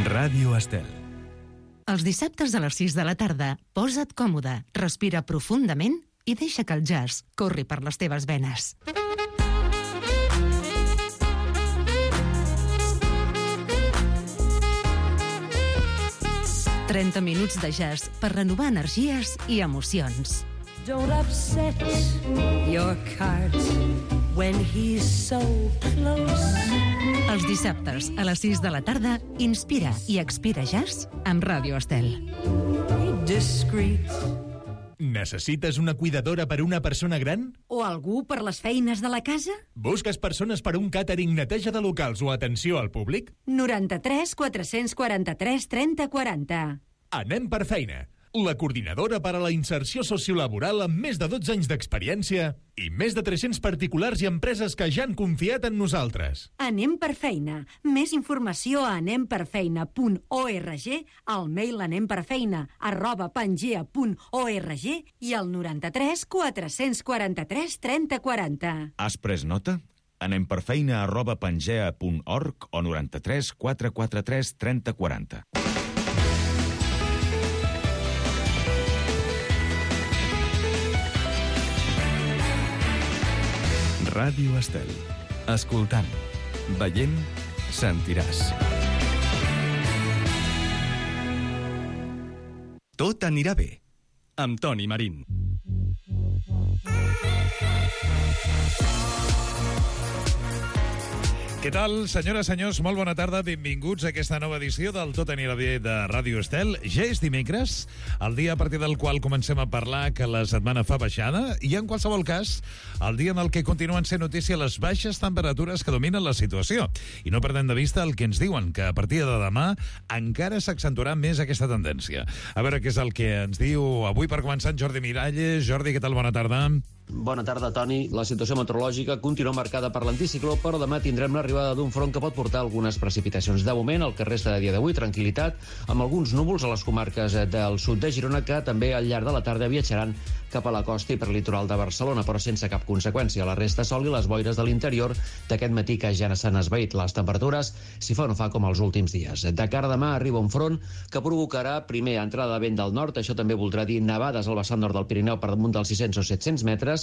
Ràdio Estel. Els dissabtes a les 6 de la tarda, posa't còmode, respira profundament i deixa que el jazz corri per les teves venes. «30 minuts de jazz per renovar energies i emocions». Don't upset your cart when he's so close. Els dissabtes a les 6 de la tarda, inspira i expira jazz amb Ràdio Estel. Discreet. Necessites una cuidadora per una persona gran? O algú per les feines de la casa? Busques persones per un càtering, neteja de locals o atenció al públic? 93 443 30 40. Anem per feina. La coordinadora per a la inserció sociolaboral amb més de 12 anys d'experiència i més de 300 particulars i empreses que ja han confiat en nosaltres. Anem per feina. Més informació a anemperfeina.org, al mail anemperfeina@pangea.org i al 93 443 30 40. Has pres nota? anemperfeina@pangea.org o 93 443 30 40. Ràdio Estel. Escoltant, veient, sentiràs. Tot anirà bé, amb Toni Marín. Què tal, senyores, senyors? Molt bona tarda. Benvinguts a aquesta nova edició del Tot anirà bé de Ràdio Estel. Ja és dimecres, el dia a partir del qual comencem a parlar que la setmana fa baixada i, en qualsevol cas, el dia en el que continuen sent notícia les baixes temperatures que dominen la situació. I no perdem de vista el que ens diuen, que a partir de demà encara s'accentuarà més aquesta tendència. A veure què és el que ens diu avui per començar en Jordi Miralles. Jordi, què tal? Bona tarda. Bona tarda, Toni. La situació meteorològica continua marcada per l'anticicló, però demà tindrem l'arribada d'un front que pot portar algunes precipitacions. De moment, el que resta de dia d'avui, tranquil·litat, amb alguns núvols a les comarques del sud de Girona, que també al llarg de la tarda viatjaran cap a la costa i per litoral de Barcelona, però sense cap conseqüència. La resta sol i les boires de l'interior d'aquest matí que ja s'han esvaït. Les temperatures, si fa o no fa, com els últims dies. De cara a demà arriba un front que provocarà primer entrada de vent del nord, això també voldrà dir nevades al vessant nord del Pirineu per damunt dels 600 o 700 metres,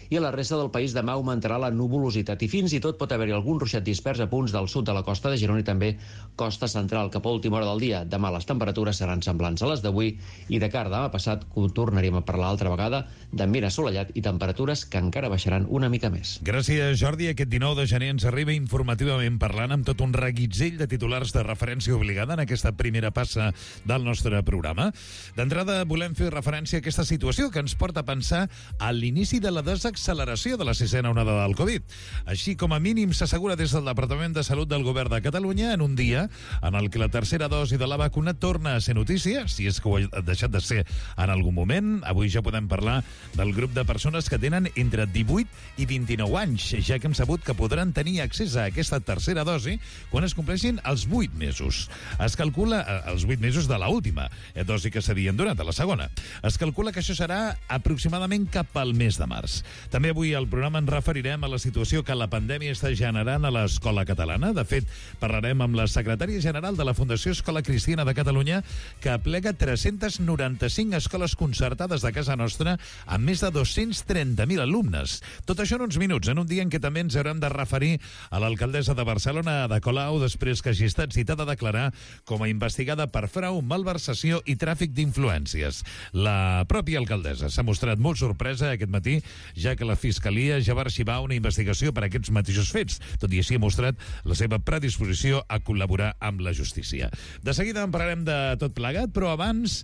i a la resta del país demà augmentarà la nuvolositat i fins i tot pot haver-hi algun ruixat dispers a punts del sud de la costa de Girona i també costa central cap a última hora del dia. Demà les temperatures seran semblants a les d'avui i de cara a demà passat tornaríem a parlar altra vegada d'ambient assolellat i temperatures que encara baixaran una mica més. Gràcies, Jordi. Aquest 19 de gener ens arriba informativament parlant amb tot un reguitzell de titulars de referència obligada en aquesta primera passa del nostre programa. D'entrada, volem fer referència a aquesta situació que ens porta a pensar a l'inici de la desacceleració de la sisena onada del Covid. Així com a mínim s'assegura des del Departament de Salut del Govern de Catalunya en un dia en el que la tercera dosi de la vacuna torna a ser notícia, si és que ho ha deixat de ser en algun moment. Avui ja podem parlar del grup de persones que tenen entre 18 i 29 anys, ja que hem sabut que podran tenir accés a aquesta tercera dosi quan es compleixin els 8 mesos. Es calcula els 8 mesos de l'última dosi que s'havien donat, a la segona. Es calcula que això serà aproximadament cap al mes de març. També avui al programa ens referirem a la situació que la pandèmia està generant a l'escola catalana. De fet, parlarem amb la secretària general de la Fundació Escola Cristiana de Catalunya, que aplega 395 escoles concertades de casa nostra amb més de 230.000 alumnes. Tot això en uns minuts, en un dia en què també ens haurem de referir a l'alcaldessa de Barcelona, Ada Colau, després que hagi estat citada a declarar com a investigada per frau, malversació i tràfic d'influències. La pròpia alcaldessa s'ha mostrat molt sorpresa aquest matí, ja que la Fiscalia ja va arxivar una investigació per aquests mateixos fets. Tot i així ha mostrat la seva predisposició a col·laborar amb la justícia. De seguida en parlarem de tot plegat, però abans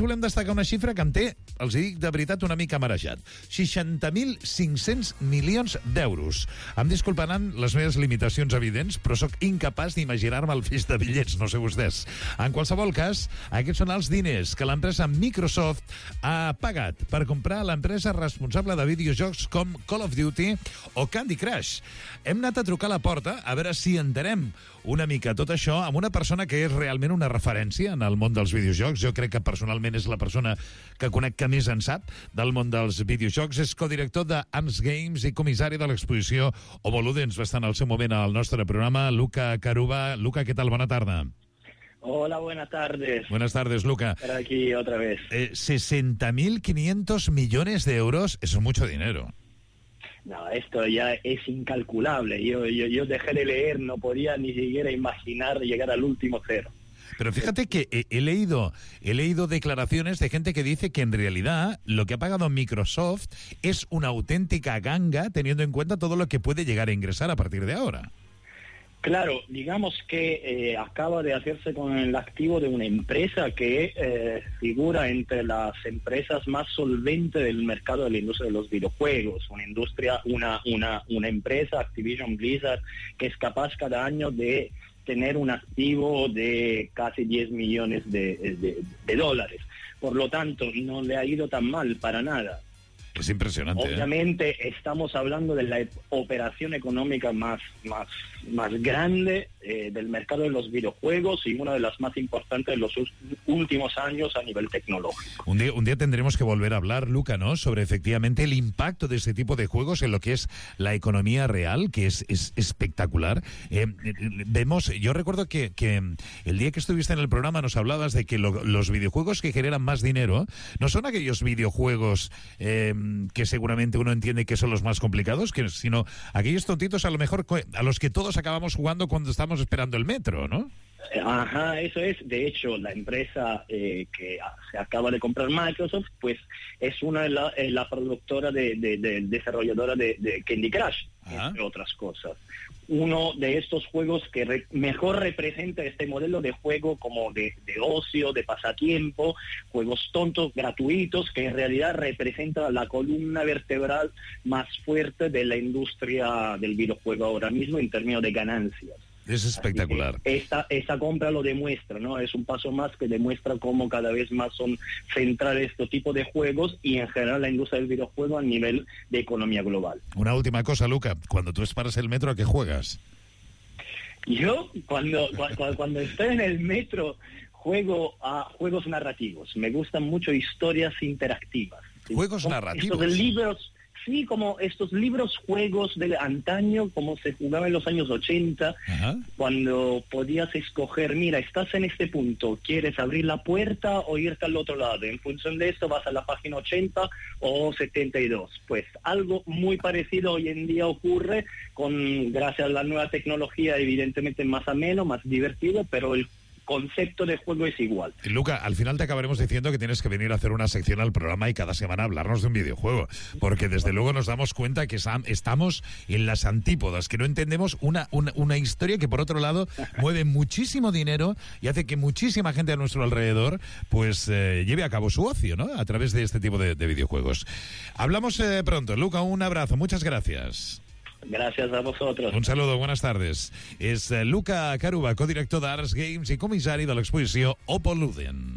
volem destacar una xifra que em té, els dic de veritat, una mica marejat. 60.500 milions d'euros. Em disculparan les meves limitacions evidents, però sóc incapaç d'imaginar-me el feix de bitllets, no sé vostès. En qualsevol cas, aquests són els diners que l'empresa Microsoft ha pagat per comprar l'empresa responsable de videojocs com Call of Duty o Candy Crush. Hem anat a trucar a la porta a veure si entenem una mica tot això amb una persona que és realment una referència en el món dels videojocs. Jo crec que personalment és la persona que conec que més en sap del món dels videojocs. És codirector de Ants Games i comissari de l'exposició Homo Ludens. Va estar en el seu moment al nostre programa, Luca Caruba. Luca, què tal? Bona tarda. Hola, buenas tardes. Buenas tardes, Luca. Estar aquí otra vez. 60.500 millones de euros, eso es mucho dinero. No, esto ya es incalculable. Yo dejé de leer, no podía ni siquiera imaginar llegar al último cero. Pero fíjate que he leído declaraciones de gente que dice que en realidad lo que ha pagado Microsoft es una auténtica ganga, teniendo en cuenta todo lo que puede llegar a ingresar a partir de ahora. Claro, digamos que acaba de hacerse con el activo de una empresa que figura entre las empresas más solventes del mercado de la industria de los videojuegos. Una empresa, Activision Blizzard, que es capaz cada año de tener un activo de casi 10 millones de dólares. Por lo tanto, no le ha ido tan mal para nada. Es impresionante. Obviamente estamos hablando de la operación económica más grande del mercado de los videojuegos y una de las más importantes de los últimos años a nivel tecnológico. Un día tendremos que volver a hablar, Luca, ¿no?, sobre efectivamente el impacto de este tipo de juegos en lo que es la economía real, que es espectacular. Yo recuerdo que el día que estuviste en el programa nos hablabas de que los videojuegos que generan más dinero no son aquellos videojuegos que seguramente uno entiende que son los más complicados, sino aquellos tontitos a lo mejor a los que todos acabamos jugando cuando estamos esperando el metro, ¿no? Ajá, eso es. De hecho, la empresa que se acaba de comprar Microsoft, pues es una de la productora desarrolladora de Candy Crush, entre otras cosas. Uno de estos juegos que mejor representa este modelo de juego como de ocio, de pasatiempo, juegos tontos, gratuitos, que en realidad representa la columna vertebral más fuerte de la industria del videojuego ahora mismo en términos de ganancias. Es espectacular. Esta compra lo demuestra, ¿no? Es un paso más que demuestra cómo cada vez más son centrales este tipo de juegos y en general la industria del videojuego a nivel de economía global. Una última cosa, Luca. Cuando tú esperas el metro, ¿a qué juegas? Yo, cuando estoy en el metro, juego a juegos narrativos. Me gustan mucho historias interactivas. ¿Juegos narrativos? Estos libros... Sí, como estos juegos de antaño, como se jugaba en los años 80, cuando podías escoger, mira, estás en este punto, ¿quieres abrir la puerta o irte al otro lado? En función de esto vas a la página 80 o 72. Pues algo muy parecido hoy en día ocurre gracias a la nueva tecnología, evidentemente más ameno, más divertido, pero el concepto de juego es igual. Luca, al final te acabaremos diciendo que tienes que venir a hacer una sección al programa y cada semana hablarnos de un videojuego, porque desde luego nos damos cuenta que estamos en las antípodas, que no entendemos una historia que por otro lado mueve muchísimo dinero y hace que muchísima gente a nuestro alrededor pues lleve a cabo su ocio, ¿no?, a través de este tipo de videojuegos. Hablamos pronto. Luca, un abrazo, muchas gracias. Gràcies a vosaltres. Un saludo, buenas tardes. És Luca Caruba, codirector d'Arts Games i comissari de l'exposició Oppo Ludens.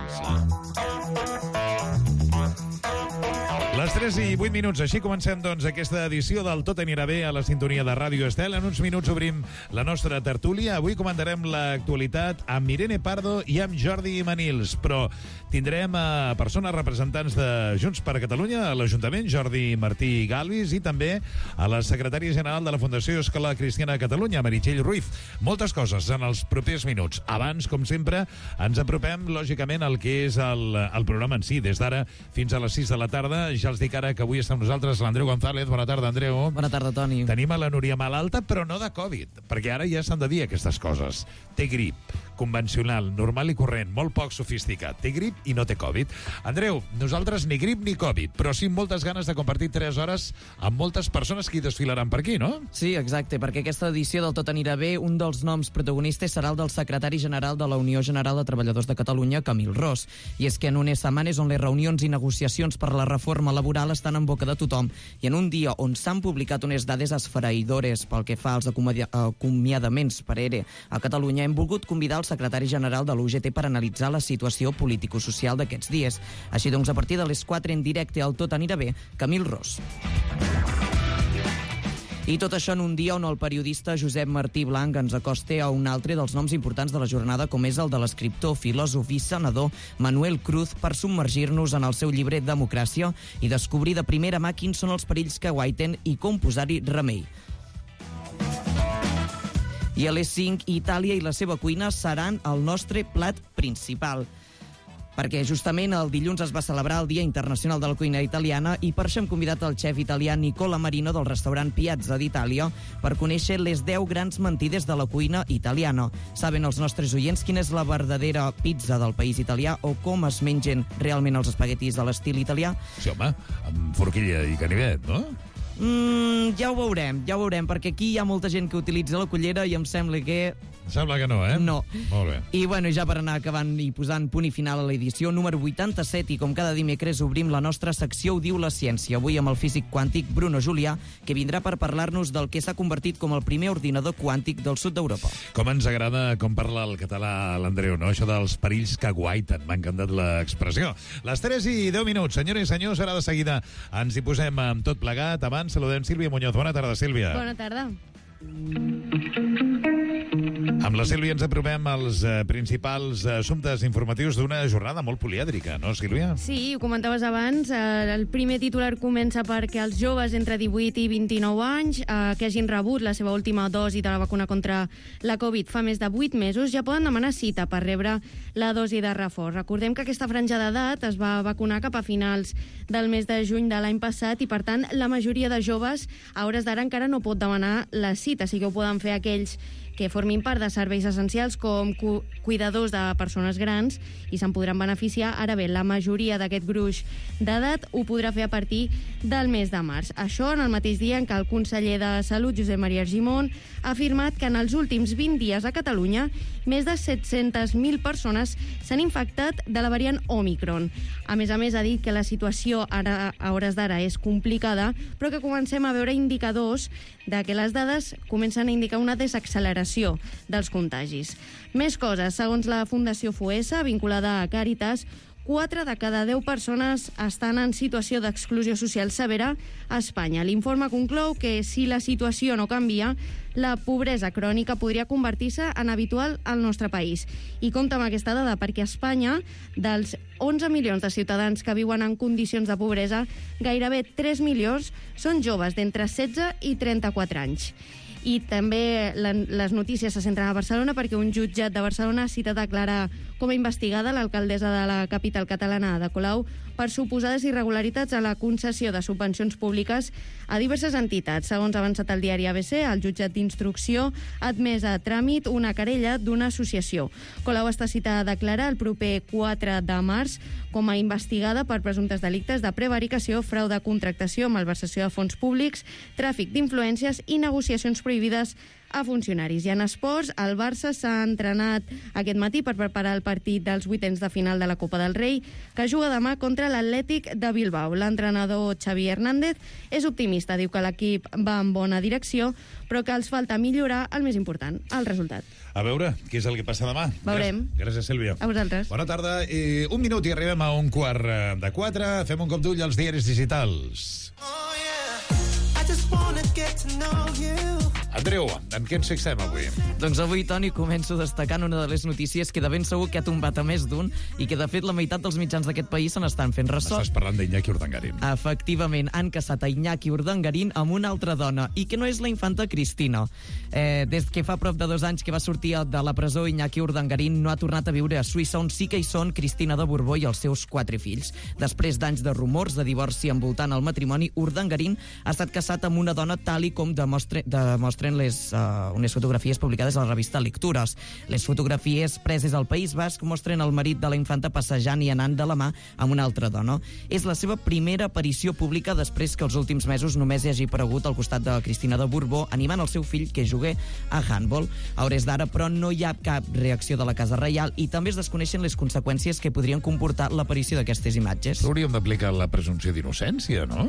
Les 3:08, així comencem doncs aquesta edició del Tot anirà bé a la sintonia de Ràdio Estel. En uns minuts obrim la nostra tertúlia. Avui comentarem l'actualitat amb Irene Pardo i amb Jordi Manils, però tindrem a persones representants de Junts per Catalunya a l'Ajuntament, Jordi Martí Galvis, i també a la secretària general de la Fundació Escola Cristiana de Catalunya, Meritxell Ruiz. Moltes coses en els propers minuts. Abans, com sempre, ens apropem, lògicament, al que és el programa en si. Des d'ara fins a les 6 de la tarda. Ja els dic ara que avui està amb nosaltres l'Andreu González. Bona tarda, Andreu. Bona tarda, Toni. Tenim a la Núria malalta, però no de Covid, perquè ara ja s'han de dir aquestes coses. Té grip, convencional, normal i corrent, molt poc sofisticat. Té grip i no té Covid. Andreu, nosaltres ni grip ni Covid, però sí moltes ganes de compartir 3 hores amb moltes persones que hi desfilaran per aquí, no? Sí, exacte, perquè aquesta edició del Tot anirà bé, un dels noms protagonistes serà el del secretari general de la Unió General de Treballadors de Catalunya, Camil Ros. I és que en unes setmanes on les reunions i negociacions per la reforma laboral estan en boca de tothom i en un dia on s'han publicat unes dades esfereïdores pel que fa als acomiadaments per ERE a Catalunya, hem volgut convidar el secretari general de l'UGT per analitzar la situació político-social d'aquests dies. Així doncs, a partir de les 4 en directe al Tot anirà bé, Camil Ros. I tot això en un dia on el periodista Josep Martí Blanc ens acosta a un altre dels noms importants de la jornada, com és el de l'escriptor, filòsof i senador Manuel Cruz, per submergir-nos en el seu llibre Democràcia i descobrir de primera mà quins són els perills que guaiten i com posar-hi remei. I a les 5, Itàlia i la seva cuina seran el nostre plat principal. Perquè justament el dilluns es va celebrar el Dia Internacional de la Cuina Italiana i per això hem convidat el xef italià Nicola Marino del restaurant Piazza d'Itàlia per conèixer les 10 grans mentides de la cuina italiana. Saben els nostres oients quina és la verdadera pizza del país italià o com es mengen realment els espaguetis de l'estil italià? Sí, home, amb forquilla i canivet, no? Ja ho veurem, perquè aquí hi ha molta gent que utilitza la cullera i em sembla que... Sembla que no, eh? No. Molt bé. I bueno, ja per anar acabant i posant punt i final a l'edició número 87, i com cada dimecres obrim la nostra secció Ho diu la ciència, avui amb el físic quàntic Bruno Julià, que vindrà per parlar-nos del que s'ha convertit com el primer ordinador quàntic del sud d'Europa. Com ens agrada com parla el català l'Andreu, no? Això dels perills que guaiten, m'ha encantat l'expressió. Les 3 i 10 minuts, senyores i senyors, ara de seguida ens hi posem amb tot plegat. Abans saludem Sílvia Muñoz. Bona tarda, Sílvia. Bona tarda. Amb la Sílvia ens apropem als principals assumptes informatius d'una jornada molt polièdrica, no, Sílvia? Sí, ho comentaves abans. El primer titular comença perquè els joves entre 18 i 29 anys que hagin rebut la seva última dosi de la vacuna contra la Covid fa més de 8 mesos ja poden demanar cita per rebre la dosi de reforç. Recordem que aquesta franja d'edat es va vacunar cap a finals del mes de juny de l'any passat i, per tant, la majoria de joves a hores d'ara encara no pot demanar la cita. Sí que ho poden fer aquells que formin part de serveis essencials com cuidadors de persones grans i se'n podran beneficiar. Ara bé, la majoria d'aquest gruix d'edat ho podrà fer a partir del mes de març. Això en el mateix dia en què el conseller de Salut, Josep Maria Argimon, ha afirmat que en els últims 20 dies a Catalunya més de 700.000 persones s'han infectat de la variant Omicron. A més, ha dit que la situació ara, a hores d'ara és complicada, però que comencem a veure indicadors de que les dades comencen a indicar una desacceleració dels contagis. Més coses. Segons la Fundació Foessa, vinculada a Càritas, 4 de cada 10 persones estan en situació d'exclusió social severa a Espanya. L'informe conclou que si la situació no canvia, la pobresa crònica podria convertir-se en habitual al nostre país. I compta amb aquesta dada perquè a Espanya, dels 11 milions de ciutadans que viuen en condicions de pobresa, gairebé 3 milions són joves d'entre 16 i 34 anys. I també les notícies se centren a Barcelona perquè un jutjat de Barcelona ha citat a declarar com a investigada l'alcaldessa de la capital catalana, Ada Colau, per suposades irregularitats a la concessió de subvencions públiques a diverses entitats. Segons ha avançat el diari ABC, el jutjat d'instrucció ha admès a tràmit una querella d'una associació. Colau està citada a declarar el proper 4 de març com a investigada per presumptes delictes de prevaricació, frau de contractació, malversació de fons públics, tràfic d'influències i negociacions prohibides a funcionaris. I en esports, el Barça s'ha entrenat aquest matí per preparar el partit dels vuitens de final de la Copa del Rei, que juga demà contra l'Atlètic de Bilbao. L'entrenador Xavi Hernández és optimista, diu que l'equip va en bona direcció, però que els falta millorar el més important, el resultat. A veure, què és el que passa demà? Veurem. Gràcies, Sílvia. A vosaltres. Bona tarda. Un minut i arribem a 3:15. Fem un cop d'ull als diaris digitals. Oh, yeah. I just wanna get to know you. Andreu, en què ens fixem avui? Doncs avui, Toni, començo destacant una de les notícies que de ben segur que ha tombat a més d'un i que, de fet, la meitat dels mitjans d'aquest país se n'estan fent ressò. Estàs parlant d'Iñaki Urdangarín. Efectivament, han caçat a Iñaki Urdangarín amb una altra dona, i que no és la infanta Cristina. Des que fa prop de 2 anys que va sortir de la presó, Iñaki Urdangarín no ha tornat a viure a Suïssa, on sí que hi són Cristina de Borbó i els seus 4 fills. Després d'anys de rumors de divorci envoltant el matrimoni, Urdangarín ha estat casat amb una dona tal i com demostren unes fotografies publicades a la revista Lectures. Les fotografies preses al País Basc mostren el marit de la infanta passejant i anant de la mà amb una altra dona. És la seva primera aparició pública després que els últims mesos només hi hagi aparegut al costat de Cristina de Borbó animant el seu fill que jugui a handball. A hores d'ara, però, no hi ha cap reacció de la Casa Reial i també es desconeixen les conseqüències que podrien comportar l'aparició d'aquestes imatges. Hauríem d'aplicar la presumpció d'innocència, no?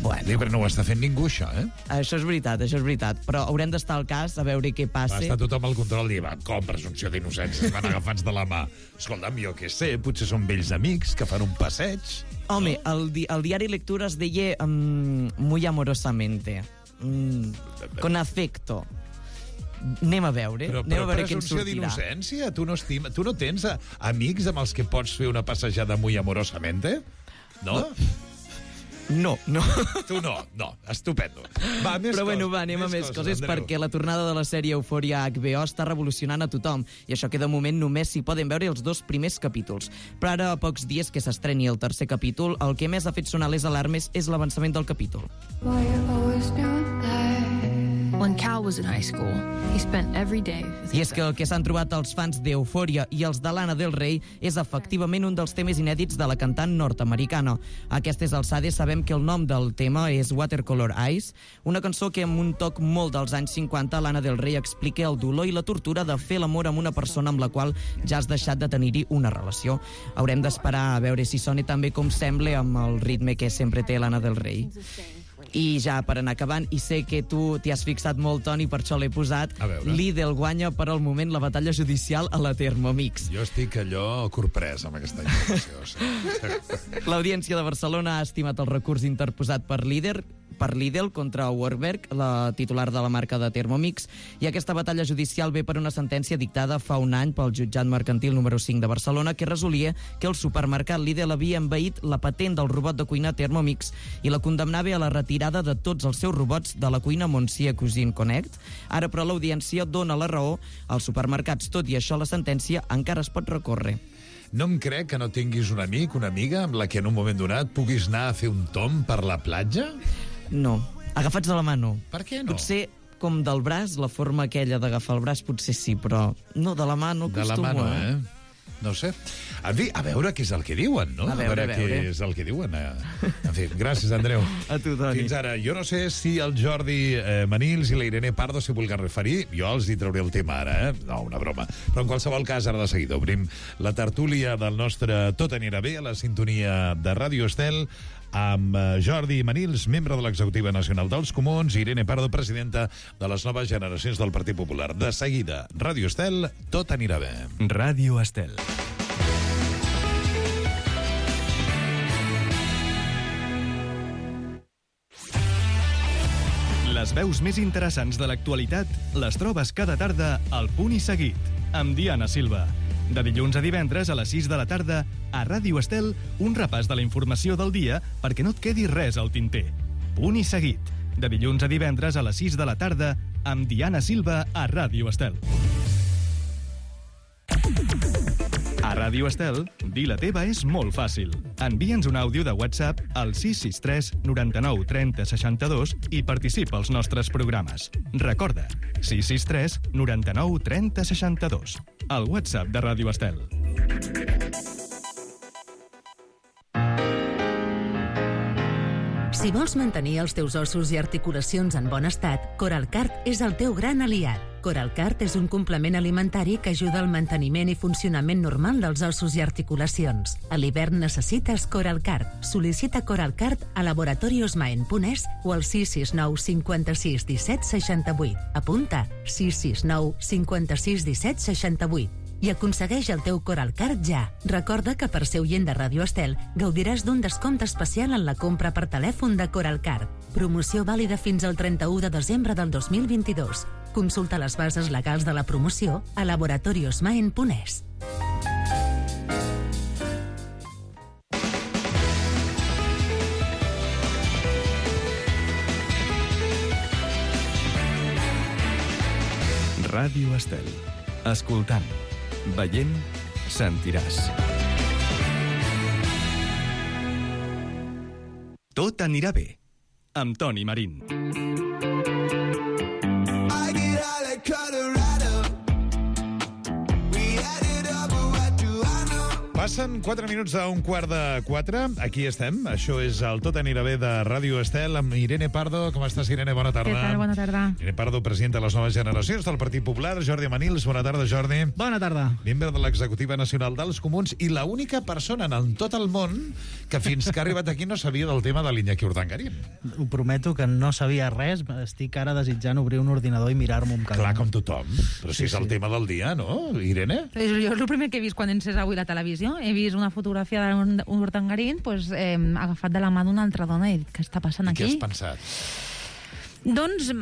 Bueno. Però no ho està fent ningú, això, eh? Això és veritat, però haurem d'estar al cas a veure què passa. Va estar tothom al control i va, com presumpció d'innocència? Van agafats de la mà. Escolta'm, jo què sé, potser són vells amics que fan un passeig. Home, no? el diari Lectures deia muy amorosamente, con afecto. Anem a veure què ens sortirà. Presumpció d'innocència? Tu no tens amics amb els que pots fer una passejada muy amorosamente? No? No. Tu no, estupendo. Va, més Però bueno, anem a més coses, perquè la tornada de la sèrie Euphoria a HBO està revolucionant a tothom, i això que de moment només s'hi poden veure els 2 primers capítols. Però ara, a pocs dies que s'estreni el tercer capítol, el que més ha fet sonar les alarmes és l'avançament del capítol. When Cal was in high school, he spent every day with I és que el que s'han trobat els fans d'Euphoria i els de Lana Del Rey és efectivament un dels temes inèdits de la cantant nord-americana. A aquestes alçades sabem que el nom del tema és Watercolor Eyes, una cançó que amb un toc molt dels anys 50 Lana Del Rey explica el dolor i la tortura de fer l'amor amb una persona amb la qual ja has deixat de tenir-hi una relació. Haurem d'esperar a veure si sona també com sembla amb el ritme que sempre té Lana Del Rey. I ja per anar acabant, i sé que tu t'hi has fixat molt, Toni, per això l'he posat, Lidl guanya per al moment la batalla judicial a la Thermomix. Jo estic allò corprès amb aquesta informació. Sí. L'Audiència de Barcelona ha estimat el recurs interposat per Lidl contra Warburg, la titular de la marca de Thermomix, i aquesta batalla judicial ve per una sentència dictada fa un any pel jutjat mercantil número 5 de Barcelona que resolia que el supermercat Lidl havia envaït la patent del robot de cuina Thermomix i la condemnava a la retirada de tots els seus robots de la cuina Monsieur Cuisine Connect. Ara, però, l'Audiència dona la raó als supermercats. Tot i això, la sentència encara es pot recórrer. No em crec que no tinguis un amic, una amiga, amb la que en un moment donat puguis anar a fer un tomb per la platja? No. Agafats de la mà, no. Per què no? Potser com del braç, la forma aquella d'agafar el braç, potser sí, però no, de la mà no acostumo. De la mà no, No sé. En fi, a veure què és el que diuen, no? A veure. Què és el que diuen. En fi, gràcies, Andreu. A tu, Toni. Fins ara. Jo no sé si el Jordi Manils i la Irene Pardo s'hi vulguen referir. Jo els hi trauré el tema ara, No, una broma. Però en qualsevol cas, ara de seguida obrim la tertúlia del nostre Tot anirà bé a la sintonia de Ràdio Estel amb Jordi Manils, membre de l'Executiva Nacional dels Comuns, i Irene Pardo, presidenta de les noves generacions del Partit Popular. De seguida, Ràdio Estel, Tot anirà bé. Ràdio Estel. Les veus més interessants de l'actualitat les trobes cada tarda al Punt i Seguit, amb Diana Silva. De dilluns a divendres a les 6 de la tarda, a Ràdio Estel, un repàs de la informació del dia perquè no et quedi res al tinter. Punt i Seguit. De dilluns a divendres a les 6 de la tarda, amb Diana Silva a Ràdio Estel. A Ràdio Estel, dir la teva és molt fàcil. Envia'ns un àudio de WhatsApp al 663 99 30 62 i participa als nostres programes. Recorda, 663 99 30 62. El WhatsApp de Ràdio Estel. Si vols mantenir els teus ossos i articulacions en bon estat, Coralcart és el teu gran aliat. Coralcart és un complement alimentari que ajuda al manteniment i funcionament normal dels ossos i articulacions. A l'hivern necessites Coralcart. Sol·licita Coralcart a laboratoriosmaen.es o al 669 56 17 68. Apunta 669 56 17 68. I aconsegueix el teu Coralcart ja. Recorda que per ser oient de Ràdio Estel gaudiràs d'un descompte especial en la compra per telèfon de Coralcart. Promoció vàlida fins al 31 de desembre del 2022. Consulta les bases legals de la promoció a laboratoriosmaen.es. Ràdio Estel. Escoltant, veient, sentiràs. Tot anirà bé, amb Toni Marín. Passen 4 minuts d'un quart de 4. Aquí estem. Això és el Tot anirà bé de Ràdio Estel amb Irene Pardo. Com estàs, Irene? Bona tarda. Què tal? Bona tarda. Irene Pardo, presidenta de les noves generacions del Partit Popular. Jordi Manils, bona tarda, Jordi. Bona tarda. Membre de l'Executiva Nacional dels Comuns i l'única persona en tot el món que fins que ha arribat aquí no sabia del tema de l'Iñaki Urdangarín. Ho prometo que no sabia res. Estic ara desitjant obrir un ordinador i mirar-m'ho amb calma. Clar, com tothom. Però si és el tema del dia, no, Irene? Jo és el primer que he vist quan he encès avui la televisió. He vist una fotografia d'Urdangarín agafat de la mà d'una altra dona i he dit, què està passant aquí? I què has pensat? Doncs,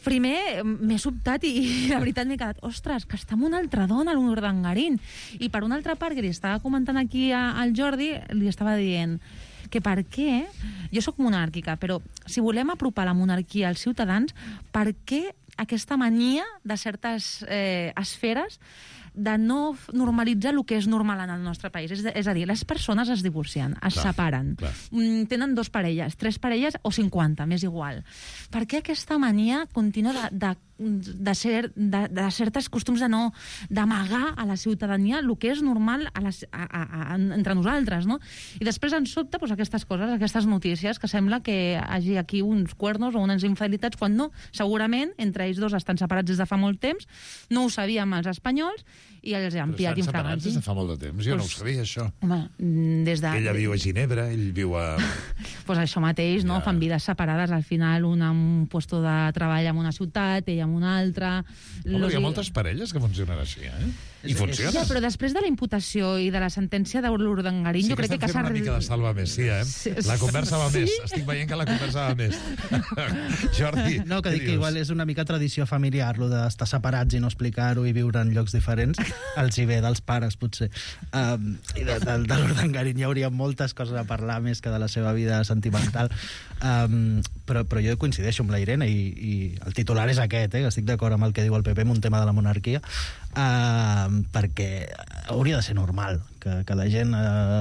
primer m'he sobtat i la veritat m'he quedat, ostres, que està amb una altra dona, l'Urdangarín. I per una altra part, que li estava comentant aquí al Jordi, li estava dient, que per què... Jo sóc monàrquica, però si volem apropar la monarquia als ciutadans, per què aquesta mania de certes esferes de no normalitzar el que és normal en el nostre país? És a dir, les persones es divorcien, es separen, tenen 2 parelles, 3 parelles o 50, m'és igual. Per què aquesta mania contínua de certes costums d'amagar a la ciutadania el que és normal entre nosaltres, no? I després ens sobta aquestes coses, aquestes notícies, que sembla que hi hagi aquí uns cuernos o unes infidelitats, quan no. Segurament, entre ells 2 estan separats des de fa molt temps, no ho sabíem els espanyols, i els han pillat infragants. Però estan separats des de fa molt de temps, jo no ho sabia, això. Home, des de... Ella viu a Ginebra, ell viu a... Pues això mateix, no? Fan vides separades, al final un amb un lloc de treball en una ciutat, ella en una altra... Home, hi ha moltes parelles que funcionen així, I funciona. Ja, però després de la imputació i de la sentència de l'Urdangarín, jo crec que... Sí, que estem fent una mica de salva més, La conversa va més. Estic veient que la conversa va més. Jordi, no, que dic que igual és una mica tradició familiar, lo d'estar separats i no explicar-ho i viure en llocs diferents. Els hi ve dels pares, potser. I de l'Urdangarín hi hauria moltes coses a parlar més que de la seva vida sentimental. Però jo coincideixo amb la Irene i el titular és aquest, que estic d'acord amb el que diu el PP en un tema de la monarquia, perquè hauria de ser normal que la gent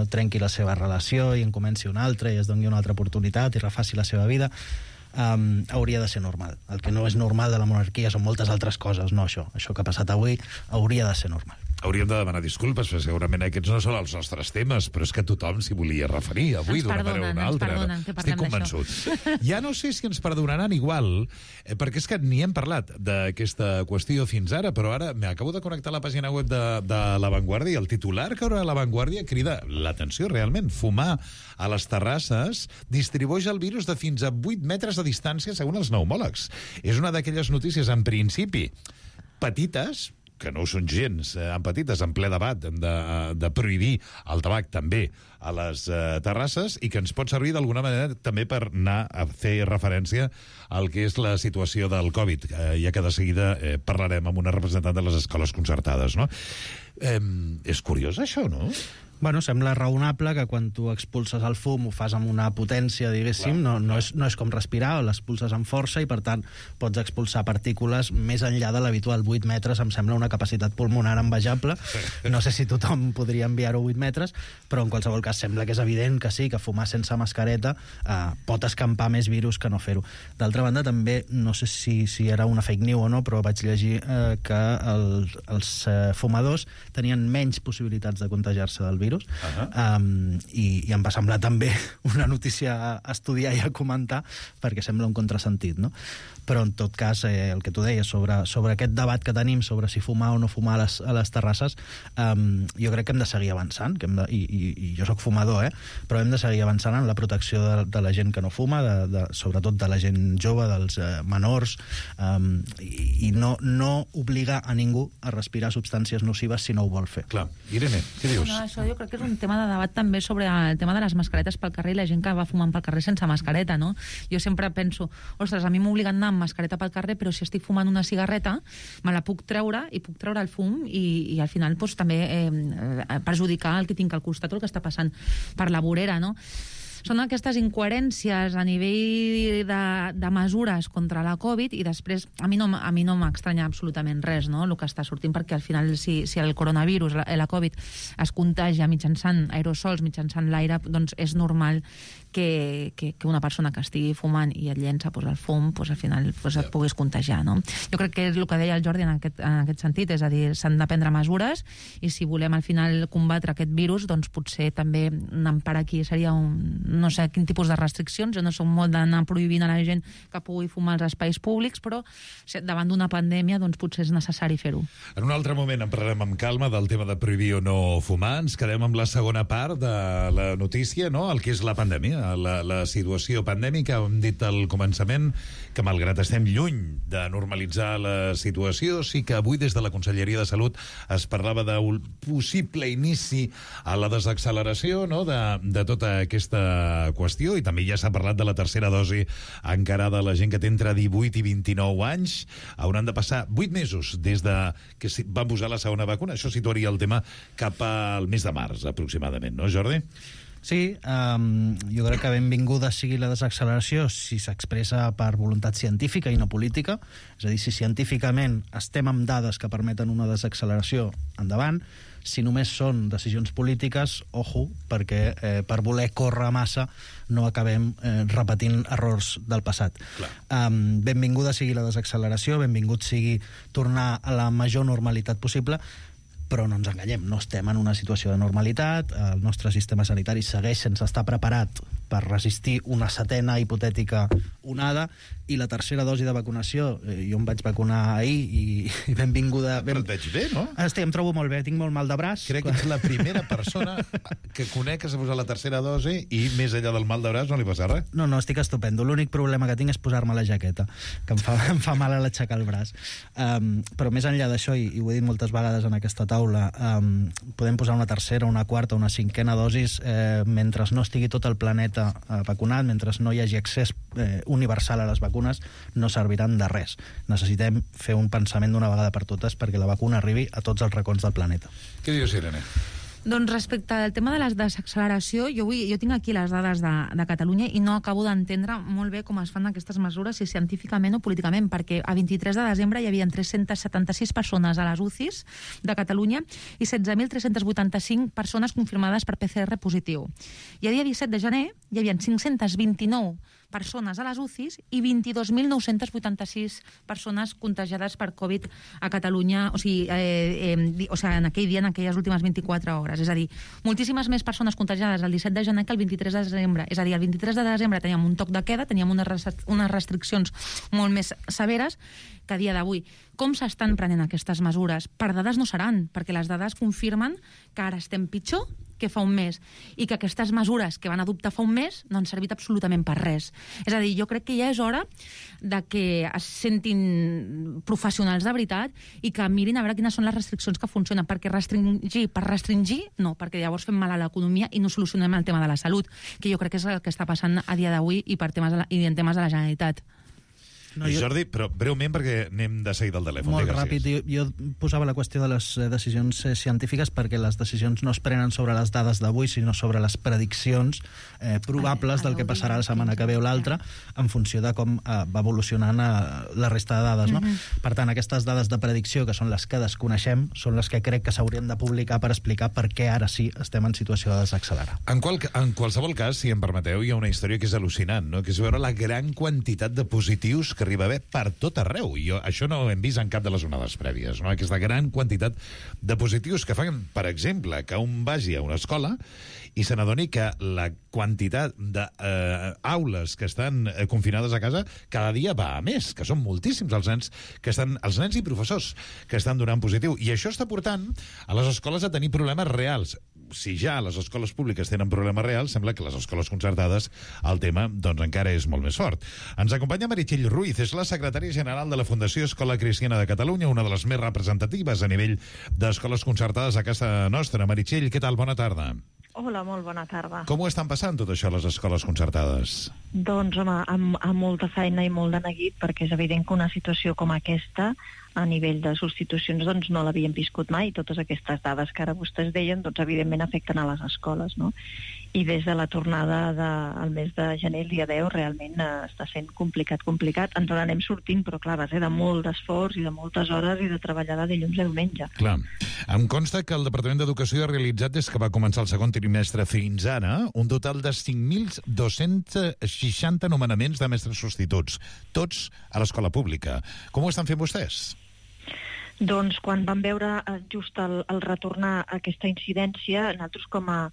trenqui la seva relació i en comenci una altra i es doni una altra oportunitat i refaci la seva vida. Hauria de ser normal. El que no és normal de la monarquia són moltes altres coses, no això. Això que ha passat avui hauria de ser normal. Hauríem de demanar disculpes, perquè segurament aquests no són els nostres temes, però és que tothom s'hi volia referir avui d'una manera o una altra. Estic convençut. Ja no sé si ens perdonaran igual, perquè és que ni hem parlat d'aquesta qüestió fins ara, però ara m'acabo de connectar a la pàgina web de La Vanguardia i el titular que haurà La Vanguardia crida l'atenció realment. Fumar a les terrasses distribueix el virus de fins a 8 metres de distància, segons els pneumòlegs. És una d'aquelles notícies, en principi, petites, que no ho són gens, petites, en ple debat de prohibir el tabac també a les terrasses, i que ens pot servir d'alguna manera també per anar a fer referència al que és la situació del Covid, ja que de seguida parlarem amb una representant de les escoles concertades, no? És curiós això, no? Bueno, sembla raonable que quan tu expulses el fum ho fas amb una potència, diguéssim, no és com respirar, l'expulses amb força i, per tant, pots expulsar partícules més enllà de l'habitual. 8 metres em sembla una capacitat pulmonar envejable. No sé si tothom podria enviar-ho 8 metres, però en qualsevol cas sembla que és evident que sí, que fumar sense mascareta pot escampar més virus que no fer-ho. D'altra banda, també, no sé si era una fake news o no, però vaig llegir que els fumadors tenien menys possibilitats de contagiar-se del virus, i em va semblar també una notícia a estudiar i a comentar, perquè sembla un contrasentit, no? Però en tot cas, el que tu deies sobre aquest debat que tenim sobre si fumar o no fumar a les terrasses, jo crec que hem de seguir avançant, i jo sóc fumador, però hem de seguir avançant en la protecció de la gent que no fuma, sobretot de la gent jove, dels menors, i no obligar a ningú a respirar substàncies nocives si no ho vol fer. Clar. Irene, què dius? No, això jo crec que és un tema de debat també sobre el tema de les mascaretes pel carrer i la gent que va fumant pel carrer sense mascareta, no? Jo sempre penso, ostres, a mi m'obliguen a anar amb mascareta pel carrer, però si estic fumant una cigarreta me la puc treure i puc treure el fum i al final doncs, també perjudicar el que tinc al costat o el que està passant per la vorera, no? Són aquestes incoherències a nivell de mesures contra la Covid, i després a mi no m'estranya absolutament res, no?, el que està sortint, perquè al final si el coronavirus, la Covid, es contagia mitjançant aerosols, mitjançant l'aire, doncs és normal que una persona que estigui fumant i et llença el fum, al final et puguis contagiar, no? Jo crec que és el que deia el Jordi en aquest sentit, és a dir, s'han de prendre mesures, i si volem al final combatre aquest virus, doncs potser també anant per aquí seria no sé quin tipus de restriccions. Jo no soc molt d'anar prohibint a la gent que pugui fumar als espais públics, però davant d'una pandèmia doncs potser és necessari fer-ho. En un altre moment en parlarem amb calma del tema de prohibir o no fumar. Ens quedem amb la segona part de la notícia, no?, el que és la pandèmia, la situació pandèmica. Hem dit al començament que, malgrat estem lluny de normalitzar la situació, sí que avui des de la Conselleria de Salut es parlava d'un possible inici a la desacceleració, no?, de tota aquesta qüestió, i també ja s'ha parlat de la tercera dosi encarada a la gent que té entre 18 i 29 anys. Hauran de passar 8 mesos des de que van posar la segona vacuna. Això situaria el tema cap al mes de març, aproximadament, no, Jordi? Sí, jo crec que benvinguda sigui la desacceleració si s'expressa per voluntat científica i no política. És a dir, si científicament estem amb dades que permeten una desacceleració, endavant. Si només són decisions polítiques, ojo, perquè per voler córrer massa no acabem repetint errors del passat. Benvinguda sigui la desacceleració, benvingut sigui tornar a la major normalitat possible, però no ens enganyem, no estem en una situació de normalitat, el nostre sistema sanitari segueix sense estar preparat per resistir una setena hipotètica onada, i la tercera dosi de vacunació, jo em vaig vacunar ahir i benvinguda... Però et veig bé, no? Estic, em trobo molt bé, tinc molt mal de braç. Crec que ets la primera persona que conec que s'ha posat la tercera dosi i més enllà del mal de braç no li passa res. No, estic estupendo. L'únic problema que tinc és posar-me la jaqueta, que em fa mal a l'aixecar el braç. Però més enllà d'això, i ho he dit moltes vegades en aquesta taula, podem posar una tercera, una quarta, una cinquena dosis mentre no estigui tot el planeta vacunat, mentre no hi hagi accés universal a les vacunes, no serviran de res. Necessitem fer un pensament d'una vegada per totes perquè la vacuna arribi a tots els racons del planeta. Què dius, Irene? Doncs respecte al tema de la desacceleració, jo tinc aquí les dades de Catalunya i no acabo d'entendre molt bé com es fan aquestes mesures, si científicament o políticament, perquè a 23 de desembre hi havia 376 persones a les UCIs de Catalunya i 16.385 persones confirmades per PCR positiu. I a dia 17 de gener hi havia 529 persones a les UCIs i 22.986 persones contagiades per Covid a Catalunya, o sigui, en aquell dia, en aquelles últimes 24 hores. És a dir, moltíssimes més persones contagiades el 17 de gener que el 23 de desembre. És a dir, el 23 de desembre teníem un toc de queda, teníem unes restriccions molt més severes que a dia d'avui. Com s'estan prenent aquestes mesures? Per dades no seran, perquè les dades confirmen que ara estem pitjor que fa un mes, i que aquestes mesures que van adoptar fa un mes no han servit absolutament per res. És a dir, jo crec que ja és hora de que es sentin professionals de veritat i que mirin a veure quines són les restriccions que funcionen, perquè restringir, no, perquè llavors fem mal a l'economia i no solucionem el tema de la salut, que jo crec que és el que està passant a dia d'avui i en temes de la Generalitat. No, Jordi, però breument perquè anem de seguida al telèfon. Molt ràpid. Jo posava la qüestió de les decisions científiques perquè les decisions no es prenen sobre les dades d'avui, sinó sobre les prediccions probables del que passarà la setmana que ve o l'altra en funció de com va evolucionant la resta de dades. No? Per tant, aquestes dades de predicció, que són les que desconeixem, són les que crec que s'haurien de publicar per explicar per què ara sí estem en situació de desaccelerar. En qualsevol cas, si em permeteu, hi ha una història que és al·lucinant, no? Que és veure la gran quantitat de positius que arriba a haver per tot arreu. I això no ho hem vist en cap de les onades prèvies, no? Aquesta gran quantitat de positius que fan, per exemple, que un vagi a una escola i se n'adoni que la quantitat d'aules que estan confinades a casa cada dia va a més, que són moltíssims els nens i professors que estan donant positiu. I això està portant a les escoles a tenir problemes reals. Si ja les escoles públiques tenen problemes reals, sembla que les escoles concertades el tema doncs encara és molt més fort. Ens acompanya Meritxell Ruiz, és la secretària general de la Fundació Escola Cristiana de Catalunya, una de les més representatives a nivell d'escoles concertades a casa nostra. Meritxell, què tal? Bona tarda. Hola, molt bona tarda. Com ho estan passant tot això a les escoles concertades? Doncs, home, amb molta feina i molt de neguit, perquè és evident que una situació com aquesta, a nivell de substitucions, doncs no l'havíem viscut mai. Totes aquestes dades que ara vostès deien, doncs evidentment afecten a les escoles, no? I des de la tornada al mes de gener, el dia 10, realment està sent complicat. Ens n'anem sortint, però clar, va ser de molt d'esforç i de moltes hores i de treballar de dilluns a diumenge. Clar. Em consta que el Departament d'Educació ha realitzat, des que va començar el segon trimestre fins ara, un total de 5.260 nomenaments de mestres substituts, tots a l'escola pública. Com ho estan fent vostès? Doncs quan vam veure just el retornar a aquesta incidència, nosaltres com a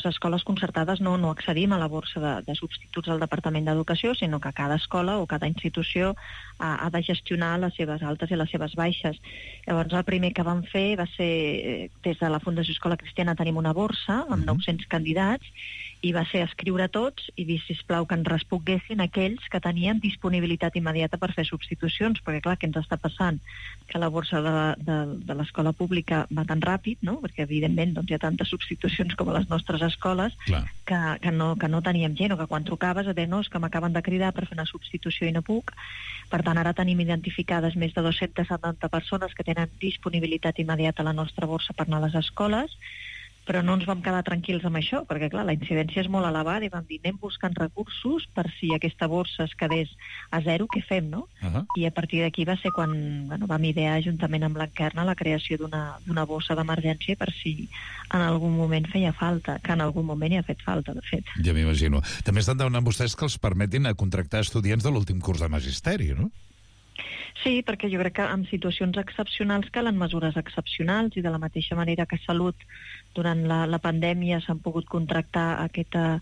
escoles concertades no accedim a la borsa de substituts del Departament d'Educació, sinó que cada escola o cada institució ha de gestionar les seves altes i les seves baixes. Llavors el primer que vam fer va ser, des de la Fundació Escola Cristiana tenim una borsa amb 900 candidats, i va ser escriure tots i dir, sisplau, que ens responguessin aquells que tenien disponibilitat immediata per fer substitucions, perquè clar, què ens està passant? Que la borsa de l'escola pública va tan ràpid, no? Perquè evidentment doncs, hi ha tantes substitucions com a les nostres escoles que no teníem gent, o que quan trucaves a dir, no, és que m'acaben de cridar per fer una substitució i no puc. Per tant, ara tenim identificades més de 270 persones que tenen disponibilitat immediata a la nostra borsa per anar a les escoles. Però no ens vam quedar tranquils amb això, perquè clar, la incidència és molt elevada i vam dir, anem buscant recursos per si aquesta borsa es quedés a zero, què fem, no? I a partir d'aquí va ser quan vam idear juntament amb l'Encarna la creació d'una borsa d'emergència per si en algun moment feia falta, que en algun moment hi ha fet falta, de fet. Ja m'imagino. També estan demanant vostès que els permetin a contractar estudiants de l'últim curs de magisteri, no? Sí, perquè jo crec que en situacions excepcionals calen mesures excepcionals i de la mateixa manera que Salut durant la pandèmia s'han pogut contractar aquesta